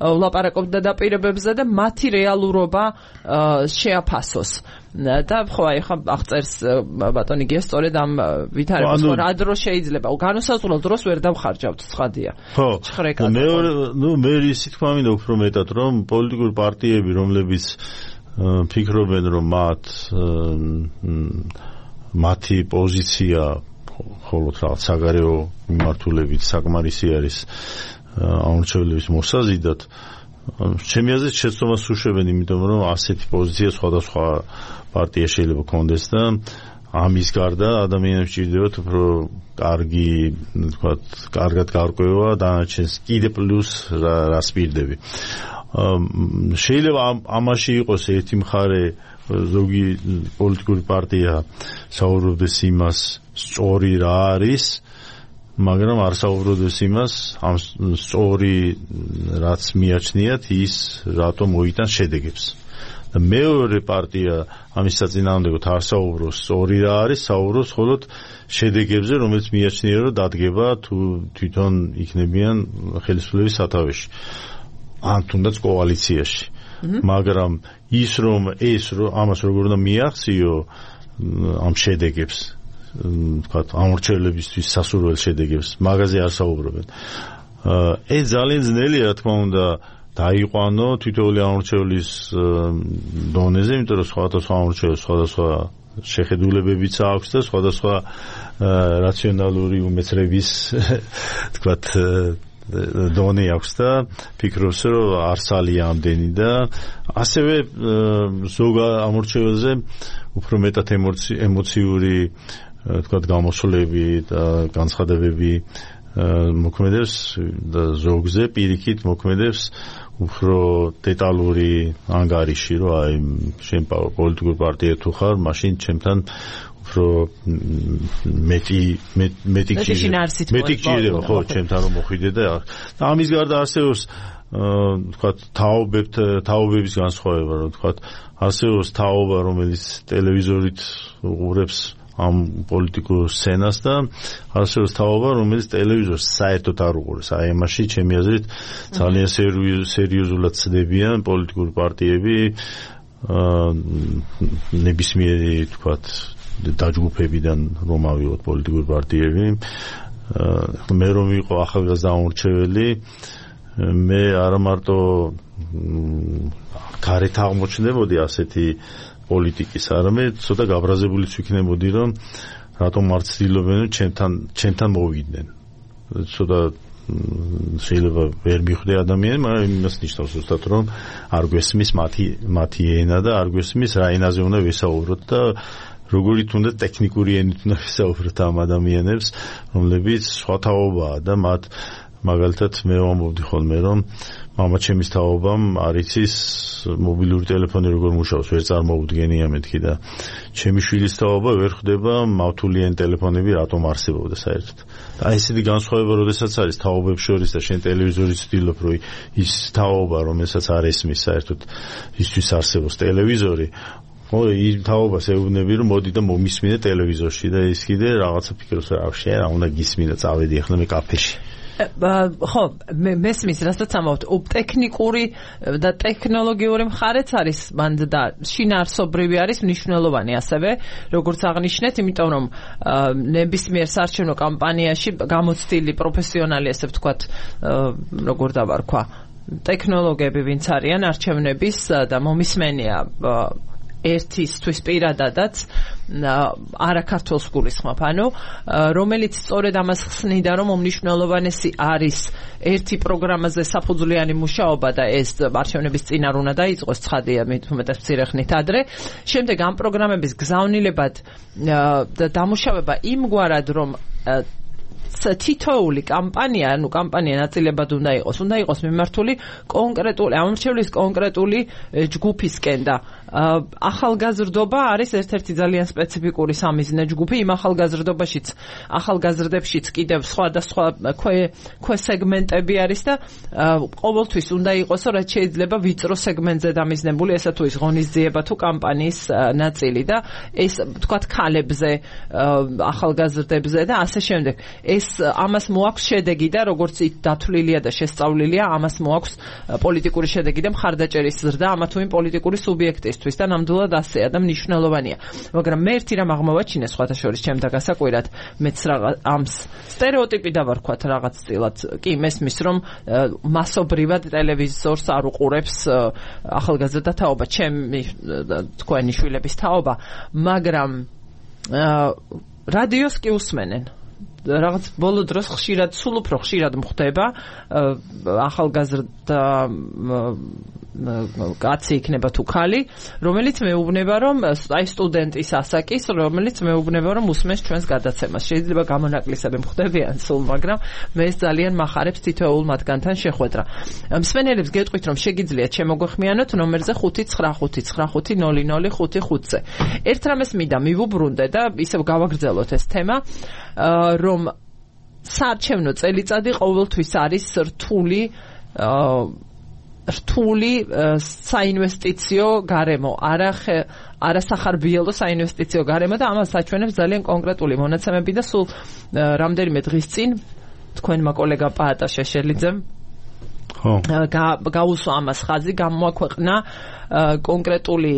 ვლაპარაკობთ და დაპირებებზე და მათი რეალურობა შეაფასოს. და ხო აი ხა აღწერს ბატონი გია სწორედ ამ ვითარებას, ხო რა დრო შეიძლება განუსაზღვრელ დროს ვერ დავხარჯავთ, ცხადია. ხო, მე ისე თქვა მინდა უფრო მეტად, რომ პოლიტიკური პარტიები, რომლებიც ფიქრობენ, რომ მათი პოზიცია მხოლოდ რაღაც საგარეო მიმართულებით საკმარისი არის ამორჩევლების მოსაზიდად ჩემი აზრით შეცდომას უშვებენ, იმიტომ რომ ასეთი პოზიცია სხვადასხვა პარტია შეიძლება კონდეს და ამის გარდა ადამიანებს ჭირდებათ უფრო კარგი, თქვათ, კარგად გარკვევა დანარჩენს კიდე პლუს რას პირდები. შეიძლება ამაში იყოს ერთი მხარე, ზოგი პოლიტიკური პარტია საუბრობდეს იმას, სწორი რა არის, მაგრამ არ საუბრობდეს იმას, ამ სწორი რაც მიაჩნიათ, ის რატომ მოიტანს შედეგებს. და მეორე პარტია ამის საწინააღმდეგოდ არ საუბრობს სწორი რა არის, საუბრობს მხოლოდ შედეგებზე, რომელიც მიაჩნია, რომ დადგება თუ თვითონ იქნებიან ხელისუფლების სათავეში. ან თუნდაც კოალიციაში. მაგრამ ის რომ ამას როგორ უნდა მიაღწიო ამ შედეგებს, ვთქვათ, ამორჩევლებისთვის სასურველ შედეგებს, მაგაზე არ საუბრობენ. ეს ძალიან ძნელია, რა თქმა უნდა, დაიყვანო თითოეული ამორჩევლის დონეზე, იმიტომ რომ სხვადასხვა ამორჩევლს სხვადასხვა შეხედულებებიც აქვს და სხვადასხვა რაციონალური უმეცრების, თქვათ, დონე აქვს და ფიქრობს, რომ არსალია ამდენი და ასევე ზოგ ამორჩეველზე უფრო მეტად ემოციური, თქვათ, გამოსვლები და განცხადებები მოქმედებს და ზოგზე პირიქით მოქმედებს უფრო დეტალური ანგარიში, რომ აი შენ პოლიტიკურ პარტია თუ ხარ, მაშინ ჩემთან უფრო მეტი გჭირდება, ხო, ჩემთან რომ მოხვიდე და ამის გარდა არსებობს, თქვათ, თაობების განსხვავება, რომ თქვათ, არსებობს თაობა, რომელიც ტელევიზორით უყურებს ამ პოლიტიკურ სცენას და არსებობს თაობა, რომელიც ტელევიზორს საერთოდ არ უყურებს. აი ამაში ჩემი აზრით ძალიან სერიოზულად ცდებიან პოლიტიკური პარტიები, ნებისმიერი, თქვათ, დაჯგუფებიდან რომ ავიღოთ პოლიტიკური პარტიები. მე რომ ვიყო ახალგაზრდა ამორჩეველი, მე არა მარტო გარეთ აღმოჩნდებოდი ასეთი პოლიტიკის, არამედ ცოტა გაბრაზებულიც ვიქნებოდი, რომ რატომ არ ცდილობენ ჩემთან მოვიდნენ. ცოტა შეიძლება ვერ მიხვდე ადამიანი, მაგრამ იმას ნიშნავს ზუსტად, რომ არ გვესმის მათი ენა და არ გვესმის რა ენაზე უნდა ვესაუბროთ და როგორი თუნდაც ტექნიკური ენით უნდა ვესაუბროთ ამ ადამიანებს, რომლებიც სხვა თაობაა და მათ მაგალითად მე ვამბობდი ხოლმე, რომ მამაჩემის თაობამ არ იცის მობილური ტელეფონი როგორ მუშაობს, ვერ წარმოუდგენია მეთქი და ჩემი შვილის თაობა ვერ ხვდება მავთულიანი ტელეფონები რატომ არსებობდა საერთოდ. და ესეთი განსხვავება როდესაც არის თაობებს შორის და შენ ტელევიზორით ვცდილობ, რომ ის თაობა, რომელსაც არ ესმის საერთოდ ისთვის არსებობს ტელევიზორი, ხო, იმ თაობას ეუბნები, რომ მოდი და მომისმინე ტელევიზორში და ის კიდე რაღაცა ფიქრობს, რა შენ რა უნდა გისმინა, წავედი ახლა მე კაფეში. ხო, მესმის, რასაც ამბობთ, ტექნიკური და ტექნოლოგიური მხარეც არის მანდ და შინაარსობრივი არის მნიშვნელოვანი ასევე, როგორც აღნიშნეთ, იმიტომ რომ ნებისმიერ საარჩევნო კამპანიაში გამოცდილი პროფესიონალი, ასე ვთქვათ, როგორ დავარქვა, ტექნოლოგები ვინც არიან არჩევნების და მომისმენია ერთისთვის პირადადაც არაქართველს გულისხმობ, ანუ რომელიც სწორედ ამას ხსნიდა, რომ უმნიშვნელოვანესი არის ერთი პროგრამაზე საფუძვლიანი მუშაობა და ეს არჩევნების წინ არ უნდა დაიწყოს, ცხადია, მეტად მცირე ხნით ადრე. შემდეგ ამ პროგრამების გზავნილებად და დამუშავება იმგვარად, რომ თითოეული კამპანია, ანუ კამპანია ნაწილებად უნდა იყოს მიმართული კონკრეტული ამორჩევლის კონკრეტული ჯგუფისკენ და ახალგაზრდობა არის ერთ-ერთი ძალიან სპეციფიკური სამიზნე ჯგუფი. იმ ახალგაზრდებშიც კიდევ სხვადასხვა სეგმენტები არის და ყოველთვის უნდა იყოს, რაც შეიძლება ვიწრო სეგმენტზე დამიზნებული, ესა თუ ის ღონისძიება თუ კამპანიის ნაწილი და ეს თქვათ ქალებზე, ახალგაზრდებზე და ასე შემდეგ. ეს ამას მოაქვს შედეგი და როგორც ის დათვლილია და შესწავლილია, ამას მოაქვს პოლიტიკური შედეგი და მხარდაჭერის ზრდა ამა თუ იმ პოლიტიკური სუბიექტისთვის და ნამდვილად ასეა და მნიშვნელოვანია. მაგრამ მე ერთი რამ აღმოვაჩინე სხვათა შორის ჩემთა გასაკვირად, მეც ამ სტერეოტიპი დავარქვათ რაღაცწილად. კი, მესმის, რომ მასობრივად ტელევიზორს არ უყურებს ახალგაზრდა თაობა, ჩემი თქვენი შვილების თაობა, მაგრამ რადიოს კი უსმენენ. რაღაც ბოლო დროს სულ უფრო ხშირად მხდება ახალგაზრდა კაცი იქნება თუ ხალი, რომელიც მეუბნება რომ აი სტუდენტის ასაკის, რომელიც მეუბნება რომ უსმენს ჩვენს გადაცემას. შეიძლება გამონაკლისები მხდებიან სულ, მაგრამ მე ძალიან მახარებს თითოეულ მათგანთან შეხვედრა. მსმენელებს გეტყვით რომ შეგიძლიათ შემოგვეხმიანოთ ნომერზე 595500555-ზე. ერთ რამეს მინდა მივუბრუნდე და ისევ გავაგრძელოთ ეს თემა, რომ საარჩევნო წელიწადი ყოველთვის არის რთული საინვესტიციო გარემო, არასახარბიელო საინვესტიციო გარემო და ამას საჩვენებს ძალიან კონკრეტული მონაცემები და სულ რამდენიმე დღის წინ თქვენმა კოლეგა პაატა შეშელიძემ გაუსვა ამას ხაზი, გამოაქვეყნა კონკრეტული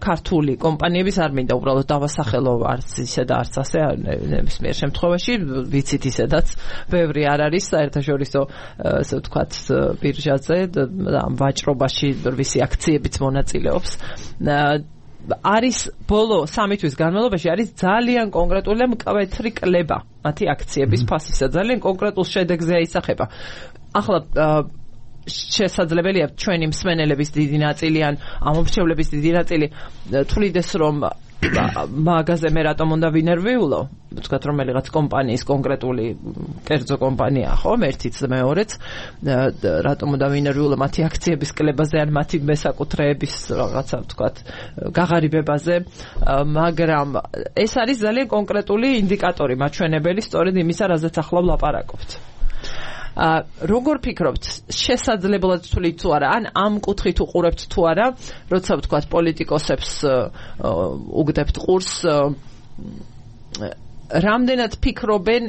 ქართული კომპანიების, არ მინდა უბრალოდ დავასახელო არც ისე და არც ასე, ნებისმიერ შემთხვევაში ვიცით ისედაც ბევრი არ არის საერთაშორისო ასე ვთქვათ ბირჟაზე და ვაჭრობაში ვისი აქციებიც მონაწილეობს. არის ბოლო 3 თვის განმავლობაში არის ძალიან კონკრეტული მკვეთრი კლება მათი აქციების ფასისა, ძალიან კონკრეტულ შედეგზე აისახება. ახლა შესაძლებელია ჩვენი მსმენელების დიდი ნაწილი ან ამომრჩევლების დიდი ნაწილი თვლიდეს რომ მაგაზე მე რატომ უნდა ვინერვიულო, ვთქვათ რომელიღაც კომპანიის კონკრეტული კერძო კომპანია ხო, ერთიც მეორეც, რატომ უნდა ვინერვიულო მათი აქციების კლებაზე ან მათი მესაკუთრეების რაღაცა ვთქვათ გაღარიბებაზე, მაგრამ ეს არის ძალიან კონკრეტული ინდიკატორი, მაჩვენებელი სწორედ იმისა, რაზეც ახლა ვლაპარაკობთ. როგორ ფიქრობთ, შესაძლებლად თვლით თუ არა, ან ამ კუთხით უყურებთ თუ არა, როცა ვთქვათ პოლიტიკოსებს უგდებთ ყურს, რამდენად ფიქრობენ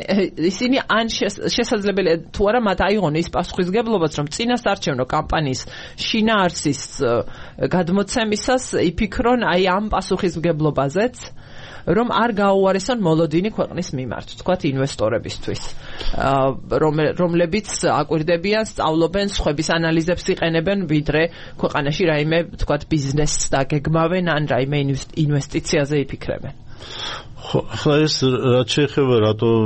ისინი, ან შესაძლებელია თუ არა მათ აიღონ ის პასუხისგებლობაც, რომ წინასაარჩევნო კამპანიის შინაარსის გადმოცემისას იფიქრონ აი ამ პასუხისმგებლობაზეც, რომ არ გაუარესონ მოლოდინი ქვეყნის მიმართ, თქვათ ინვესტორებისთვის, რომლებიც აკვირდებიან, სწავლობენ, სხვების ანალიზებს იყენებენ, ვიდრე ქვეყანაში რაიმე, თქვათ, ბიზნესს დაგეგმავენ, ან რაიმე ინვესტიციაზე იფიქრებენ. ხო, ეს რაც შეეხება რატომ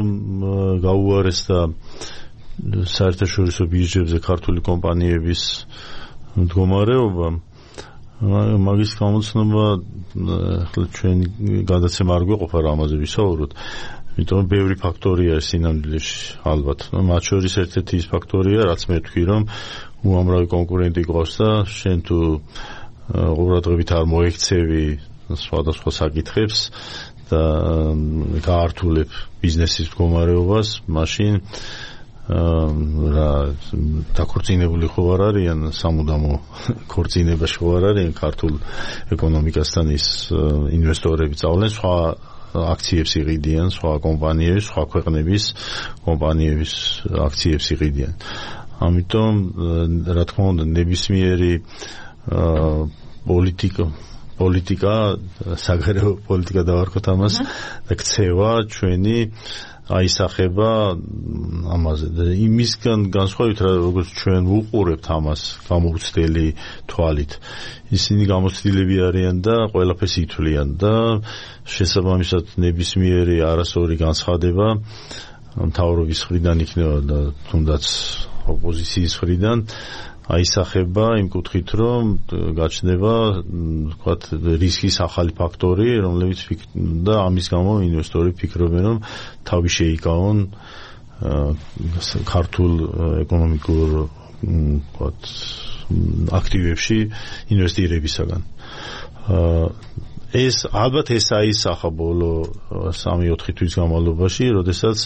გაუარესდა საერთაშორისო ბირჟებზე ქართული კომპანიების მდგომარეობა, მაგის გამოცნობა ჩვენ გადაცემა არ გვეყოფა რა ამაზე ვისაუბროთ, იმიტომ რომ ბევრი ფაქტორია ეს სინამდვილეში ალბათ. მათ შორის ერთ-ერთი ის ფაქტორია, რაც მე ვთქვი, რომ უამრავი კონკურენტი გვყავს და შენ თუ ყურადღებით არ მოექცევი სხვადასხვა საკითხებს და გაართულებ ბიზნესის მდგომარეობას, მაშინ რა დაქორწინებული ხო არ არიან, სამუდამო ქორწინებაში ხო არ არიან ქართულ ეკონომიკასთან ის ინვესტორები წავლენ, სხვა აქციებს იყიდიან, სხვა კომპანიების, სხვა ქვეყნების კომპანიების აქციებს იყიდიან. ამიტომ რა თქმა უნდა ნებისმიერი პოლიტიკა, საგარეო პოლიტიკა დავარქოთ ამას, და ქცევა ჩვენი აისახება ამაზე და იმისგან განსხვავებით, როგორც ჩვენ ვუყურებთ ამას გამოცდილი თვალით, ისინი გამოცდილები არიან და ყველაფერს ითვლიან და შესაბამისად ნებისმიერი არასწორი განცხადება მთავრობის მხრიდან იქნება და თუნდაც ოპოზიციის მხრიდან აისახება იმ კუთხით, რომ გაჩნდება ვთქვათ რისკის ახალი ფაქტორი, რომლებიც და ამის გამო ინვესტორები ფიქრობენ, რომ თავი შეიკავონ ქართულ ეკონომიკურ ვთქვათ აქტივებში ინვესტირებისაგან. ეს ალბათ ეს აისახა ბოლო 3-4 თვის განმავლობაში, როდესაც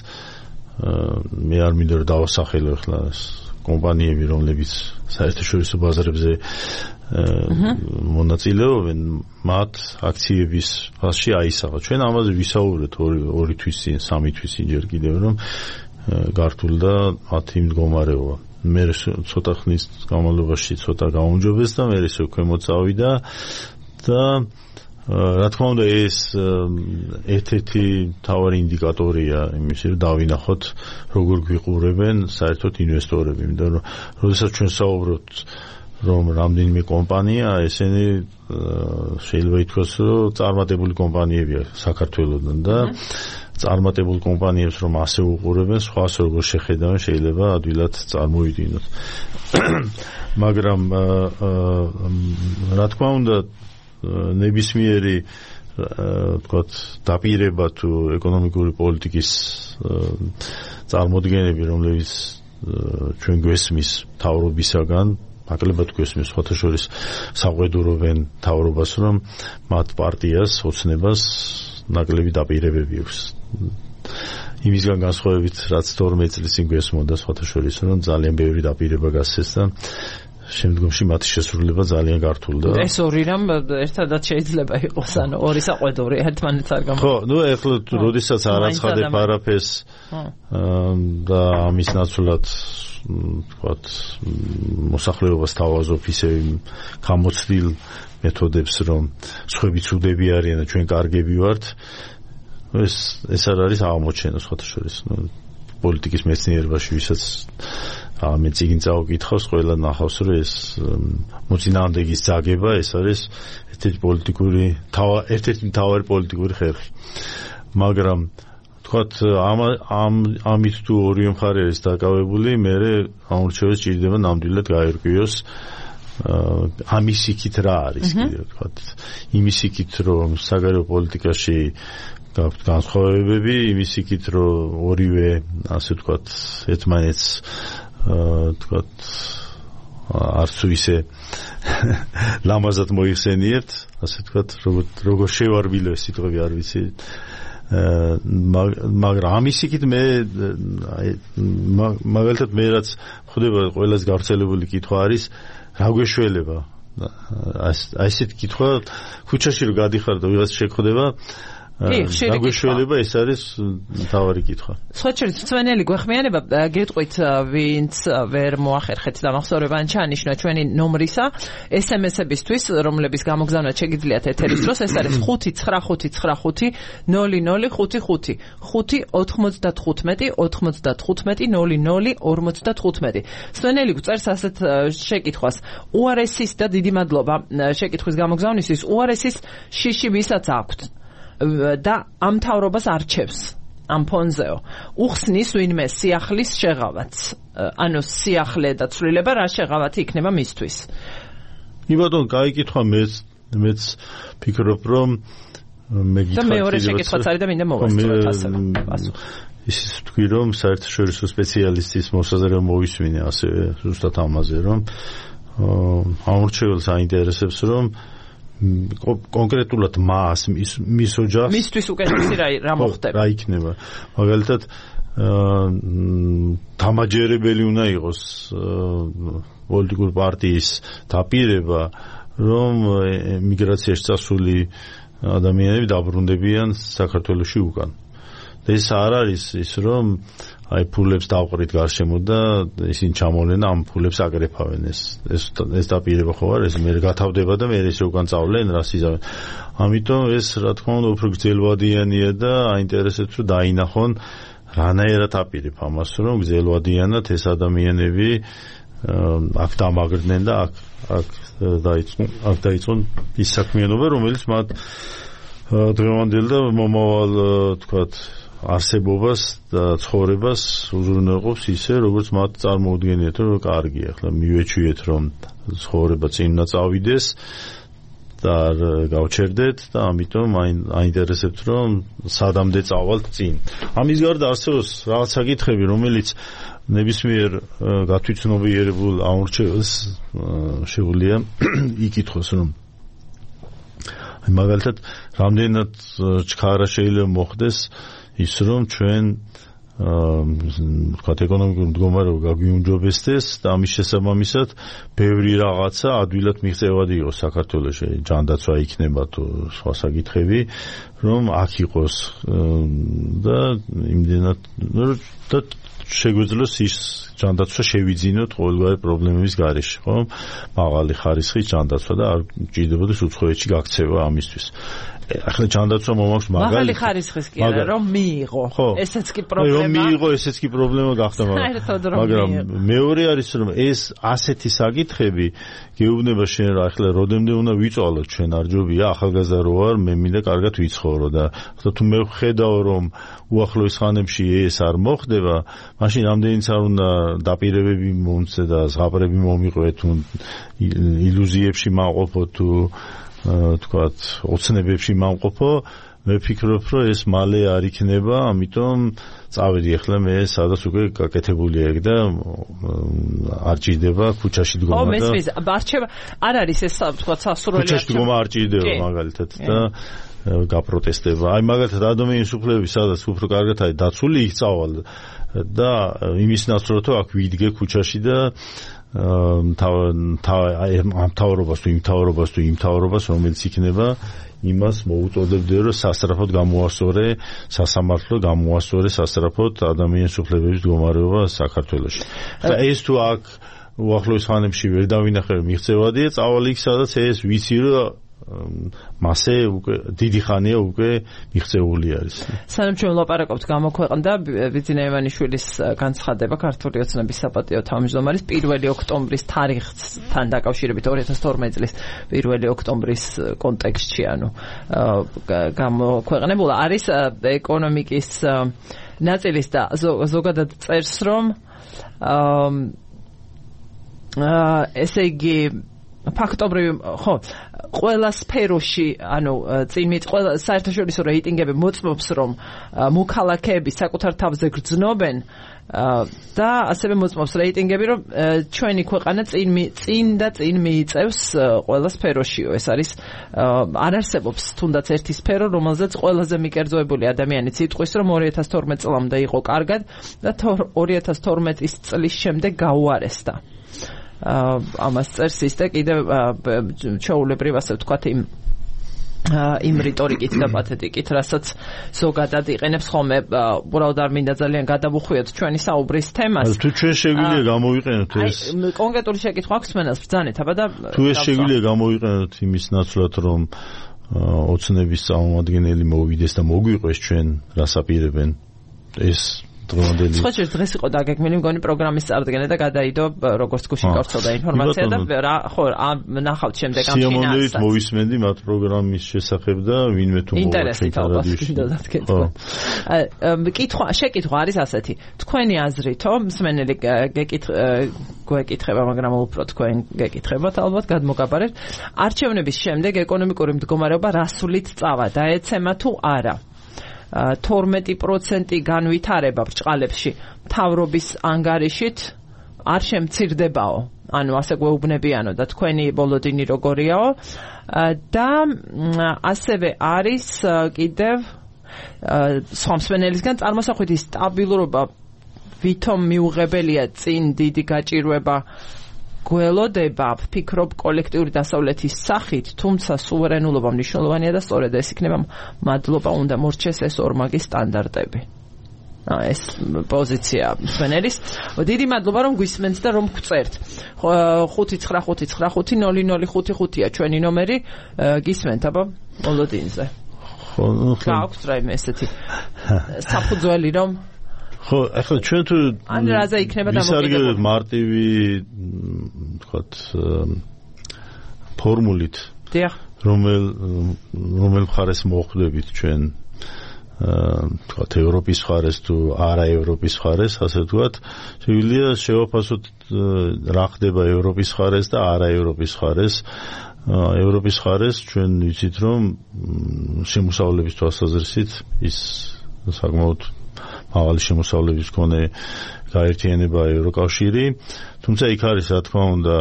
მე არ მინდა რომ დავასახელო ახლა კომპანიები, რომლებიც საერთაშორისო ბაზარებზე მონაწილეობენ, მათ აქციების ფასში აისახა. ჩვენ ამაზე ვისაუბრეთ 2 თვის წინ, 3 თვის წინ ჯერ კიდევ, რომ გართულდა მათი მდგომარეობა. მე ცოტა ხნის განმავლობაში ცოტა გაუმჯობეს და მე ისე ქვემოთ წავიდა და რა თქმა უნდა ეს ერთ-ერთი მთავარი ინდიკატორია იმის, რომ დავინახოთ როგორ გვიყურებენ საერთოდ ინვესტორები, იმიტომ რომ როდესაც ჩვენ საუბრობთ რომ რამდენიმე კომპანია ესენი შეიძლება ითქვას რომ წარმატებული კომპანიებია საქართველოსთან და წარმატებულ კომპანიებს რომ ასე უყურებენ სხვას როგორ შეხედავენ შეიძლება ადვილად წარმოვიდგინოთ მაგრამ რა თქმა უნდა ნებისმიერი თქვათ დაპირება თუ ეკონომიკური პოლიტიკის წარმოდგენები რომლებიც ჩვენ გვესმის მთავრობისაგან ნაკლებად გვესმის სხვათა შორის საყვედურობენ მთავრობას რომ მათ პარტიას ოცნებას ნაკლები დაპირებები აქვს იმისგან განსხვავებით რაც 12 წლის წინ გვესმოდა სხვათა შორის რომ ძალიან ბევრი დაპირება გასცეს და შემდგომში მათი შესრულება ძალიან გართულდა. ეს ორი რამ ერთადაც შეიძლება იყოს, ანუ ორი საყვედური ერთმანეთს არ გამო. ხო, ნუ ეხლა როდესაც არ აცხადებ არაფერს და ამის ნაცვლად ვთქვათ მოსახლეობას თავაზობ ისე გამოცდილ მეთოდებს რომ სხვები ცუდები არიან და ჩვენ კარგები ვართ ეს არ არის აღმოჩენა სხვათა შორის პოლიტიკის მეცნიერებაში ვისაც მე წიგნ წავკითხავს ყველა ნახავს რომ ეს მოწინააღმდეგის ძაგება ეს არის ერთ-ერთი მთავარი პოლიტიკური ხერხი მაგრამ თქვათ ამით თუ ორივე მხარე არის დაკავებული მე ამორჩევას ჭირდება ნამდვილად გაერკვიოს ამის იქით რა არის კიდევ თქვათ იმის იქით რომ საგარეო პოლიტიკაში გაქვთ განსხვავებები იმის იქით რომ ორივე ასე თქვათ ერთმანეთს თქვათ არც ისე ლამაზად მოიხსენიებთ ასე თქვათ როგორ შევარბილო ეს სიტყვები არ ვიცი მაგრამ ამის იქით მე მაგალითად მე რაც ხვდება ყველას გავრცელებული კითხვა არის რა გვეშველება ასეთ კითხვა ქუჩაში რომ გადიხარ და ვიღაც შეგხვდება გაგვეშველება ეს არის მთავარი კითხვა. სხვა შორის ძვენელი გვეხმიანება გეტყვით ვინც ვერ მოახერხეთ დამახსოვრება ან ჩაანიშნა ჩვენი ნომრისა SMS-ებისთვის რომლების გამოგზავნა შეგიძლიათ ეთერის დროს ეს არის 59555 სვენელი გვწერს ასეთ შეკითხვას უარესის და დიდი მადლობა შეკითხვის გამოგზავნისთვის უარესის შიში ვისაც აქვთ და ამ მთავრობას არჩევს ამ ფონზეო უხსნის ვინმე სიახლის შეღავაც ანუ სიახლე და ცვლილება რა შეღავათი იქნება მისთვის იბადონ კაი კითხვა მეც ფიქრობ რომ მე გითხრა და მეორე შეკითხვაც არის და მინდა მოვასწროთ ასევე ის თქვი რომ საერთაშორისო სპეციალისტის მოსაზრება მოვისმინე ასე ზუსტად ამაზე რომ ამორჩეველს აინტერესებს რომ კონკრეტულად მას მის ოჯახს მისთვის უკეთესი რა მოხდება რა იქნება მაგალითად დამაჯერებელი უნდა იყოს პოლიტიკური პარტიის დაპირება რომ მიგრაციაში წასული ადამიანები დაბრუნდებიან საქართველოში უკან და ეს არ არის ის რომ აი ფულებს დავყრით გარშემო და ისინი ჩამოვლენ ამ ფულებს აკრეფავენ ეს დაპირება ხო არის მე გათავდება და მე ეს უკან წავლენ რას იზავენ ამიტომ ეს რა თქმა უნდა უფრო გრძელვადიანია და აინტერესებს რომ დაინახონ რანაირად აპირებ ამას რომ გრძელვადიანად ეს ადამიანები აქ დამაგრდნენ და აქ დაიწყონ ის საქმიანობა რომელიც მათ დღევანდელ და მომავალ თქვათ არსებობას და ცხოვრებას უზრუნველყოფს ისე როგორც მათ წარმოუდგენიათ რომ კარგია ახლა მივეჩვიეთ რომ ცხოვრება წინ უნდა წავიდეს და გავჩერდეთ და ამიტომ აინტერესებთ რომ სადამდე წავალთ წინ ამის გარდა არსებობს რაღაც საკითხები რომელიც ნებისმიერ გათვითცნობიერებულ ამორჩეველს შეუძლია იკითხოს რომ მაგალითად რამდენად ჩქარა შეიძლება მოხდეს ის რომ ჩვენ ვთქვათ ეკონომიკური მდგომარეობა გაგვიუმჯობესდეს და ამის შესაბამისად ბევრი რაღაცა ადვილად მიღწევადი იყოს საქართველოში ჯანდაცვა იქნება თუ სხვა საკითხები რომ აქ იყოს და იმდენად და შეგვეძლოს ის ჯანდაცვა შევიძინოთ ყოველგვარი პრობლემების გარეშე, ხო? მაღალი ხარისხის ჯანდაცვა და არ ჭირდებოდეს უცხოეთში გაქცევა ამისთვის. ახლა ჯანდაცვა მომაქვს მაღალი ხარისხის კი არა, რომ მიიღო. ესეც კი პრობლემა. რომ მიიღო, ესეც კი პრობლემა გახდა, მაგრამ მეორე არის რომ ეს ასეთი საკითხები გეუბნება შენ რა ახლა როდემდე უნდა ვიწვალოთ ჩვენ არ ჯობია ახალგაზრდა რო ვარ მე მინდა კარგად ვიცხოვრო და ახლა თუ მე ვხედავ რომ უახლოეს ხანებში ეს არ მოხდება მაშინ რამდენიც არ უნდა დაპირებები მომცე და ზღაპრები მომიყვე თუ ილუზიებში მაღყოფო თუ თქვათ ოცნებებში მაღყოფო მე ვფიქრობ რომ ეს მალე არ იქნება ამიტომ წავედი ახლა მე სადაც უკვე გაკეთებული ეგ და არ ჭირდება ქუჩაში დგომა და მესმის არჩევა არ არის ეს თქვათ სასურველი ქუჩაში დგომა არ ჭირდება მაგალითად და გაპროტესტება აი მაგალითად ადამიანის უფლებები სადაც უფრო კარგად არის დაცული იქ წავალ და იმის ნაცვლად აქ ვიდგე ქუჩაში და მთავრობას თუ იმ მთავრობას რომელიც იქნება იმას მოუწოდებდე რომ სასწრაფოდ გამოასწორე სასამართლო გამოასწორე სასწრაფოდ ადამიანის უფლებების მდგომარეობა საქართველოში. და ეს თუ აქ უახლოეს ხანებში ვერ დავინახე მიღწევადია წავალ იქ სადაც ეს ვიცი რომ მასე უკვე დიდი ხანია უკვე მიღწეული არის. სანამ ჩვენ ვლაპარაკობთ გამოქვეყნდა ბიძინა ივანიშვილის განცხადება ქართული ოცნების საპატიო თავმჯდომარის 1 ოქტომბრის თარიღთან დაკავშირებით 2012 წლის 1 ოქტომბრის კონტექსტში ანუ გამოქვეყნებულა არის ეკონომიკის ნაწილის და ზოგადად წერს რომ ესე იგი ფაქტობრივი ხო ყველა სფეროში ანუ ყველა საერთაშორისო რეიტინგები მოწმობს რომ მოქალაქეები საკუთარ თავზე გრძნობენ და ასევე მოწმობს რეიტინგები რომ ჩვენი ქვეყანა წინ მიიწევს ყველა სფეროშიო ეს არის არ არსებობს თუნდაც ერთი სფერო რომელზეც ყველაზე მიკერძოებული ადამიანიც იტყვის რომ 2012 წლამდე იყო კარგად და 2012 წლის შემდეგ გაუარესდა ამას წერს ის და კიდევ ჩაულებრივ ასე ვთქვათ იმ რიტორიკით და პათეტიკით, რასაც ზოგადად იყენებს ხოლმე, უბრალოდ არ მინდა ძალიან გადავუხვიოთ ჩვენი საუბრის თემას. თუ ჩვენ შეგვიძლია გამოვიყენოთ ეს კონკრეტული შეკითხვა აქვს მენას ბრძანეთ, აბა და თუ ეს შეგვიძლია გამოვიყენოთ იმის ნაცვლად რომ ოცნების წარმომადგენელი მოვიდეს და მოგვიყვეს ჩვენ რას აპირებენ ეს სხვა დღეს იყო დაგეგმილი მგონი პროგრამის წარდგენა და გადაიდო როგორც გუშინ გავრცელდა ინფორმაცია და ხო ნახავთ შემდეგ ამ ფინანსს. სიამოვნებით მოვისმენდი მათ პროგრამის შესახებ და ვინმე თუ ინტერესით ალბათ შეკითხვა არის ასეთი. თქვენი აზრითო მსმენელი გვეკითხება, მაგრამ უფრო თქვენ გეკითხებათ ალბათ გადმოგაბარეთ. არჩევნების შემდეგ ეკონომიკური მდგომარეობა რასულით წავა და ეცემა თუ არა? 12% განვითარება ბრჭყალებში მთავრობის ანგარიშით არ შემცირდებაო ანუ ასე გვეუბნებიანო და თქვენი ბოლოდინი როგორიაო და ასევე არის კიდევ სხვა მსმენელისგან წარმოსახვითი სტაბილურობა ვითომ მიუღებელია წინ დიდი გაჭირვება გველოდება ვფიქრობ კოლექტიური დასავლეთის სახით, თუმცა სუვერენულობა მნიშვნელოვანია და სწორედ ეს იქნება მადლობა უნდა მორჩეს ეს ორმაგი სტანდარტები. ეს პოზიცია მსმენელის. დიდი მადლობა რომ გვისმენთ და რომ გვწერთ. 595500555-ია ჩვენი ნომერი, გისმენთ აბა მოლოდინზე. გააქვთ რაიმე ესეთი საფუძველი რომ ხო, ახლა ჩვენ თუ ან რაზე იქნება დამოკიდებული მარტივი თქვათ ფორმულით დიახ რომელ მხარეს მოხვდებით ჩვენ თქვათ ევროპის მხარეს თუ არა ევროპის მხარეს ასე ვთქვათ შეგვიძლია შევაფასოთ რა ხდება ევროპის მხარეს და არა ევროპის მხარეს ევროპის მხარეს ჩვენ ვიცით რომ შემოსავლების თვალსაზრისით ის საკმაოდ მაღალი შემოსავლების მქონე გაერთიანება ევროკავშირი, თუმცა იქ არის რა თქმა უნდა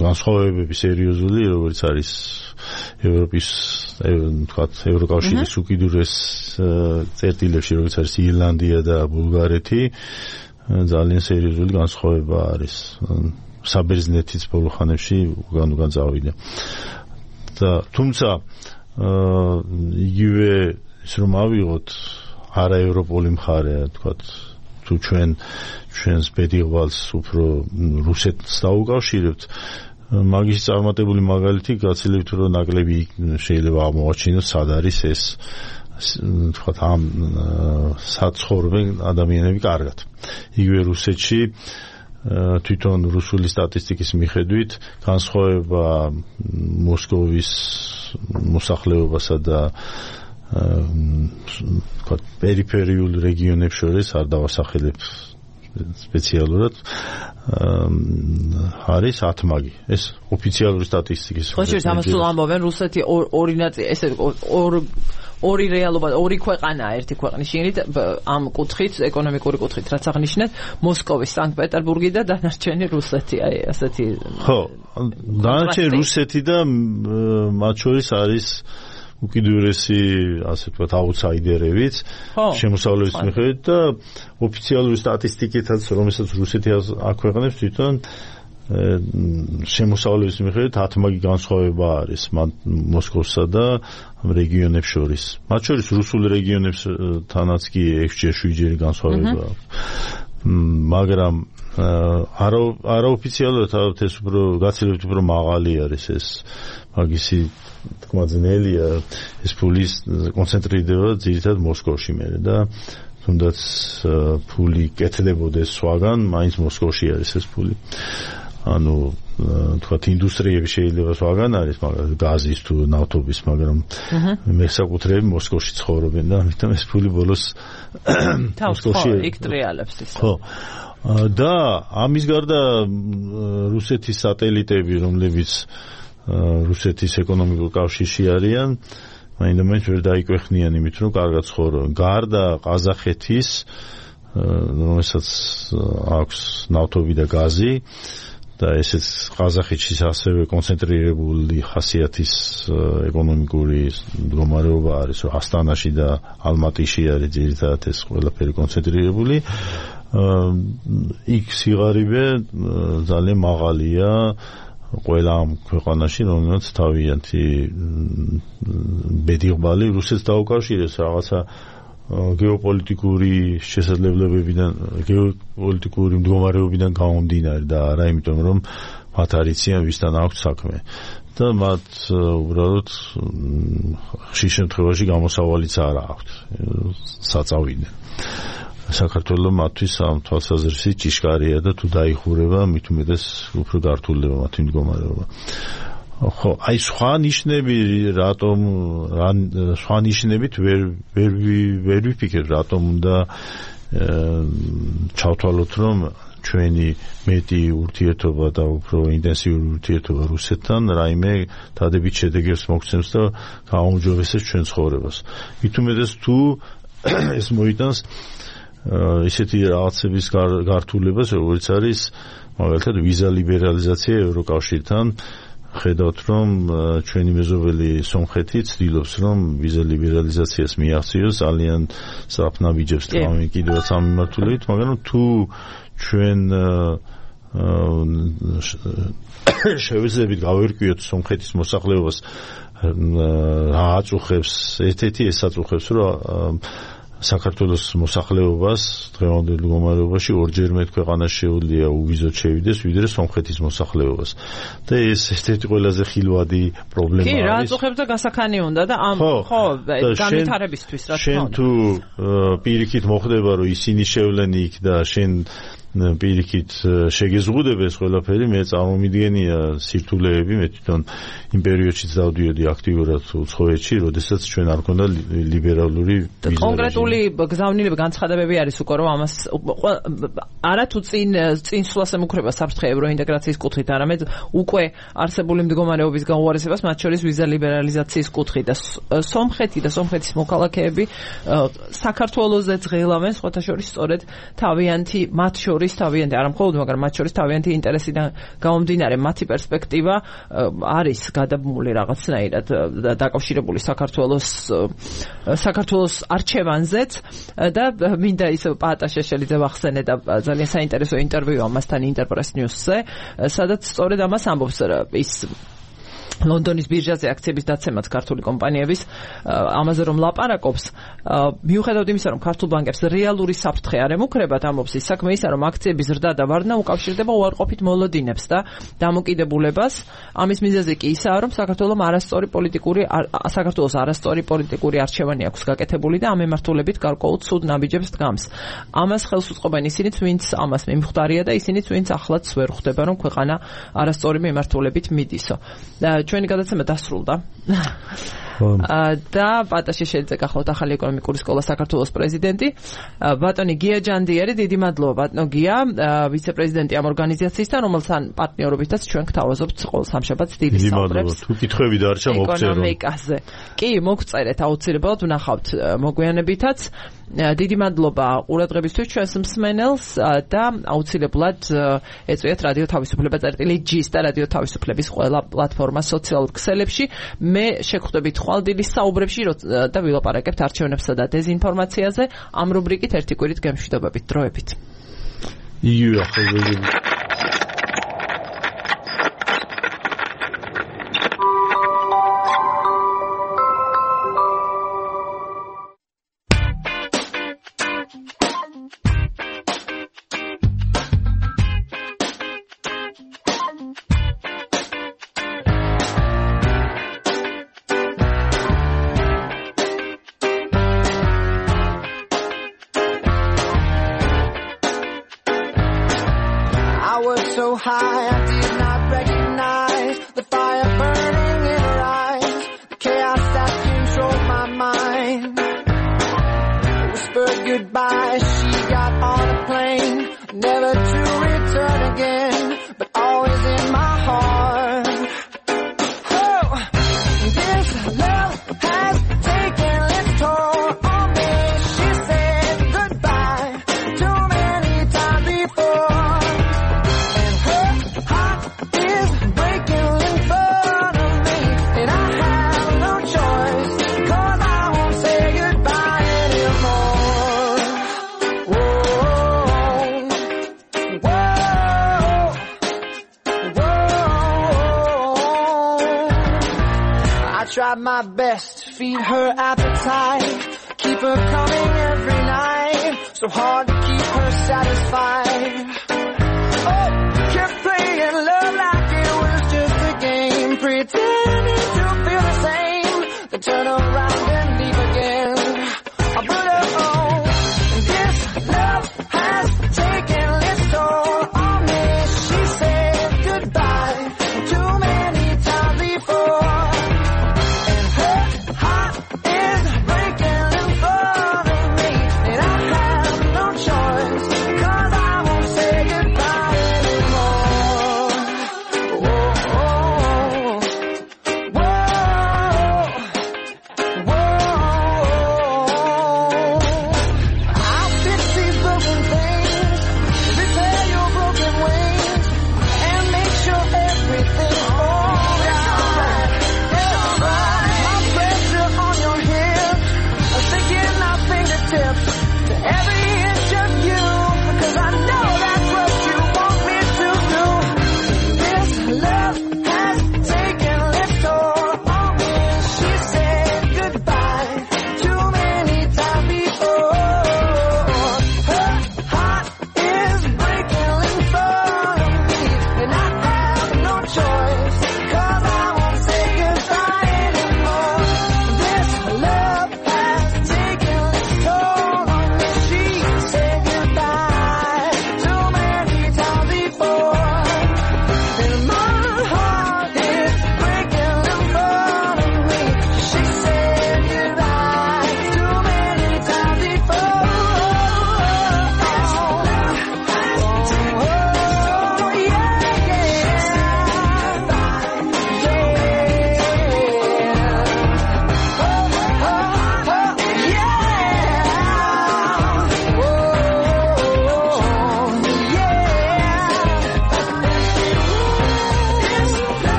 განსხვავებები სერიოზული, როგორც არის ევროპის თქვათ ევროკავშირის უკიდურეს წერტილებში, როგორც არის ირლანდია და ბულგარეთი, ძალიან სერიოზული განსხვავება არის. საბერძნეთიც ბოლო ხანებში უკან წავიდა. და თუმცა იგივე ის რომ ავიღოთ არაევროპული მხარე, თქვათ, თუ ჩვენს ბედიღვალს უფრო რუსეთს დაუკავშირებთ მაგის წარმატებული მაგალითი გაცილებით რომ ნაკლები შეიძლება აღმოაჩინოს სად არის ეს თქვათ ამ საცხოვრებენ ადამიანები კარგად იგივე რუსეთში თვითონ რუსული სტატისტიკის მიხედვით განსხვავება მოსკოვის მოსახლეობასა და თქვათ პერიფერიულ რეგიონებს შორის არ დავასახელებ სპეციალურად არის 10 მაგი ეს ოფიციალური სტატისტიკის ხოჭერს ამას სულ ამბობენ რუსეთი ორი ნაწილი ესე ორი რეალობა ორი ქვეყანაა ერთი ქვეყნის შიგნით ამ კუთხით ეკონომიკური კუთხით რაც აღნიშნეთ მოსკოვის სანქტ-პეტერბურგი და დანარჩენი რუსეთი აი ასეთი ხო დანარჩენი რუსეთი და მათ შორის არის უკიდურესი ასე ვთქვათ აუთსაიდერებიც შემოსავლების მიხედვით და ოფიციალური სტატისტიკითაც რომელსაც რუსეთი აქვეყნებს თვითონ შემოსავლების მიხედვით 10 მაგი განსხვავება არის მოსკოვსა და ამ რეგიონებს შორის მათ შორის რუსულ რეგიონებსთანაც კი 6-7 განსხვავება აქვს მაგრამ არაოფიციალურად ეს უფრო გაცილებით უფრო მაღალი არის ეს მაგისი თქმა ძნელია ეს ფულის კონცენტრირდება ძირითადად მოსკოვში მერე და თუნდაც ფული კეთდებოდეს სხვაგან მაინც მოსკოვში არის ეს ფული ანუ თქვათ ინდუსტრიები შეიძლება სხვაგან არის მაგრამ გაზის თუ ნავთობის მაგრამ მესაკუთრეები მოსკოვში ცხოვრობენ და ამიტომ ეს ფული ბოლოს მოსკოვში იქ ტრიალებს ის ხო და ამის გარდა რუსეთის სატელიტები რომლებიც რუსეთის ეკონომიკურ კავშირში არიან მაინდამაინც ვერ დაიკვეხნიან იმით რომ კარგად ცხოვრობენ გარდა ყაზახეთის რომელსაც აქვს ნავთობი და გაზი და ესეც ყაზახეთში ასევე კონცენტრირებული ხასიათის ეკონომიკური მდგომარეობა არის რომ ასტანაში და ალმატიში არის ძირითადად ეს ყველაფერი კონცენტრირებული იქ სიღარიბე ძალიან მაღალია ყველა ამ ქვეყანაში რომელსაც თავიანთი ბედიღბალი რუსეთს დაუკავშირებს რაღაცა გეოპოლიტიკური შესაძლებლობებიდან გეოპოლიტიკური მდგომარეობიდან გამომდინარე და არა იმიტომ რომ მათ არიციან ვისთან აქვს საქმე და მათ უბრალოდ ხშირ შემთხვევაში გამოსავალიც არ აქვს საწავიდნენ საქართველოს მათთვის ამ თვალსაზრისით ჭიშკარია და თუ დაიხურება მით უმეტეს უფრო გართულდება მათი მდგომარეობა ხო აი სხვა ნიშნები რატომ სხვა ნიშნებით ვერ ვიფიქრებ რატომ უნდა ჩავთვალოთ რომ ჩვენი მეტი ურთიერთობა და უფრო ინტენსიური ურთიერთობა რუსეთთან რაიმე დადებით შედეგებს მოგცემს და გააუმჯობესებს ჩვენ ცხოვრებას მით უმეტეს თუ ეს მოიტანს ისეთი რაღაცების გართულებას როგორც არის მაგალითად ვიზა ლიბერალიზაცია ევროკავშირთან ხედავთ რომ ჩვენი მეზობელი სომხეთი ცდილობს რომ ვიზა ლიბერალიზაციას მიაღწიოს ძალიან საფნავიჯებს თავი კიდევაც ამ მიმართულებით მაგრამ თუ ჩვენ შევეძლებთ გავერკვიოთ სომხეთის მოსახლეობას რა აწუხებს ერთ-ერთი ეს აწუხებს რომ საქართველოს მოსახლეობას დღევანდელ მდგომარეობაში ორჯერ მეტ ქვეყანაში შეუძლია უვიზოდ შევიდეს ვიდრე სომხეთის მოსახლეობას და ეს ერთ-ერთი ყველაზე ხილვადი პრობლემა არის. კი, რა აწუხებს და გასახანი უნდა და ამ ხო განვითარებისთვის რა თქმა უნდა. შენ თუ პირიქით მოხდება რომ ისინი შევლენ იქ და შენ პირიქით შეგეზღუდებ ეს ყველაფერი მე წარმომიდგენია სირთულეები მე თვითონ იმ პერიოდშიც დავდიოდი აქტიურად უცხოეთში როდესაც ჩვენ არ გქონდა ლიბერალური ვიზა კონკრეტული გზავნილება განცხადებები არის უკვე რომ ამას არა თუ წინ სვლას ემუქრება საფრთხე ევროინტეგრაციის კუთხით არამედ უკვე არსებული მდგომარეობის გაუარესებას მათ შორის ვიზა ლიბერალიზაციის კუთხით და სომხეთი და სომხეთის მოქალაქეები საქართველოზე ძღელავენ სხვათა შორის სწორედ თავიანთი მათ შორის თავიანთი არა მხოლოდ მაგრამ მათ შორის თავიანთი ინტერესიდან გამომდინარე მათი პერსპექტივა არის გადაბმული რაღაცნაირად დაკავშირებული საქართველოს არჩევანზეც და მინდა ის პაატა შეშელიძე ვახსენე და ძალიან საინტერესო ინტერვიუ ამასთან ინტერპრეს ნიუსზე სადაც სწორედ ამას ამბობს ის ლონდონის ბირჟაზე აქციების დაცემაც ქართული კომპანიების ამაზე რომ ლაპარაკობს მიუხედავად იმისა რომ ქართულ ბანკებს რეალური საფრთხე არ ემუქრებათ ამბობს ის საქმე ისა რომ აქციების ზრდა და ვარდნა უკავშირდება უარყოფით მოლოდინებს და დამოკიდებულებას ამის მიზეზი კი ისაა რომ საქართველოს არასწორი პოლიტიკური არჩევანი აქვს გაკეთებული და ამ ემართულებით გარკვეულ ცუდ ნაბიჯებს დგამს ამას ხელს უწყობენ ისინიც ვინც ამას მიმხვდარია და ისინიც ვინც ახლაც ვერ ხვდება რომ ქვეყანა არასწორი მიმართულებით მიდისო ჩვენი გადაცემა დასრულდა. და პატაშე შეიძლება გახლავთ ახალი ეკონომიკური სკოლა საქართველოს პრეზიდენტი ბატონი გია ჯანდიერი დიდი მადლობა ბატონო გია ვიცე-პრეზიდენტი ამ ორგანიზაციისთან რომელთან პარტნიორობითაც ჩვენ გთავაზობთ ყოველ სამშაბათს დილის საუბრებს თუ კითხვები დარჩა მოგწერო ეკონომიკაზე კი მოგწერეთ აუცილებლად ვნახავთ მოგვიანებითაც დიდი მადლობა ყურადღებისთვის ჩვენს მსმენელს და აუცილებლად ეწვიათ რადიო თავისუფლება წერტილი.gis და რადიო თავისუფლების ყველა პლატფორმა სოციალურ ქსელებში მე შეგხვდებით ხვალდილის საუბრებში და ვილაპარაკებთ არჩევნებსა და დეზინფორმაციაზე ამ რუბრიკით ერთი კვირით გემშვიდობებით დროებით High, I did not recognize the fire burning in her eyes, the chaos that controlled my mind. Whispered goodbye, she got on a plane, never to return again, but always in my heart. Oh, this love has taken its toll on me. She said goodbye too many times before. Tried my best to feed her appetite, keep her coming every night, so hard to keep her satisfied.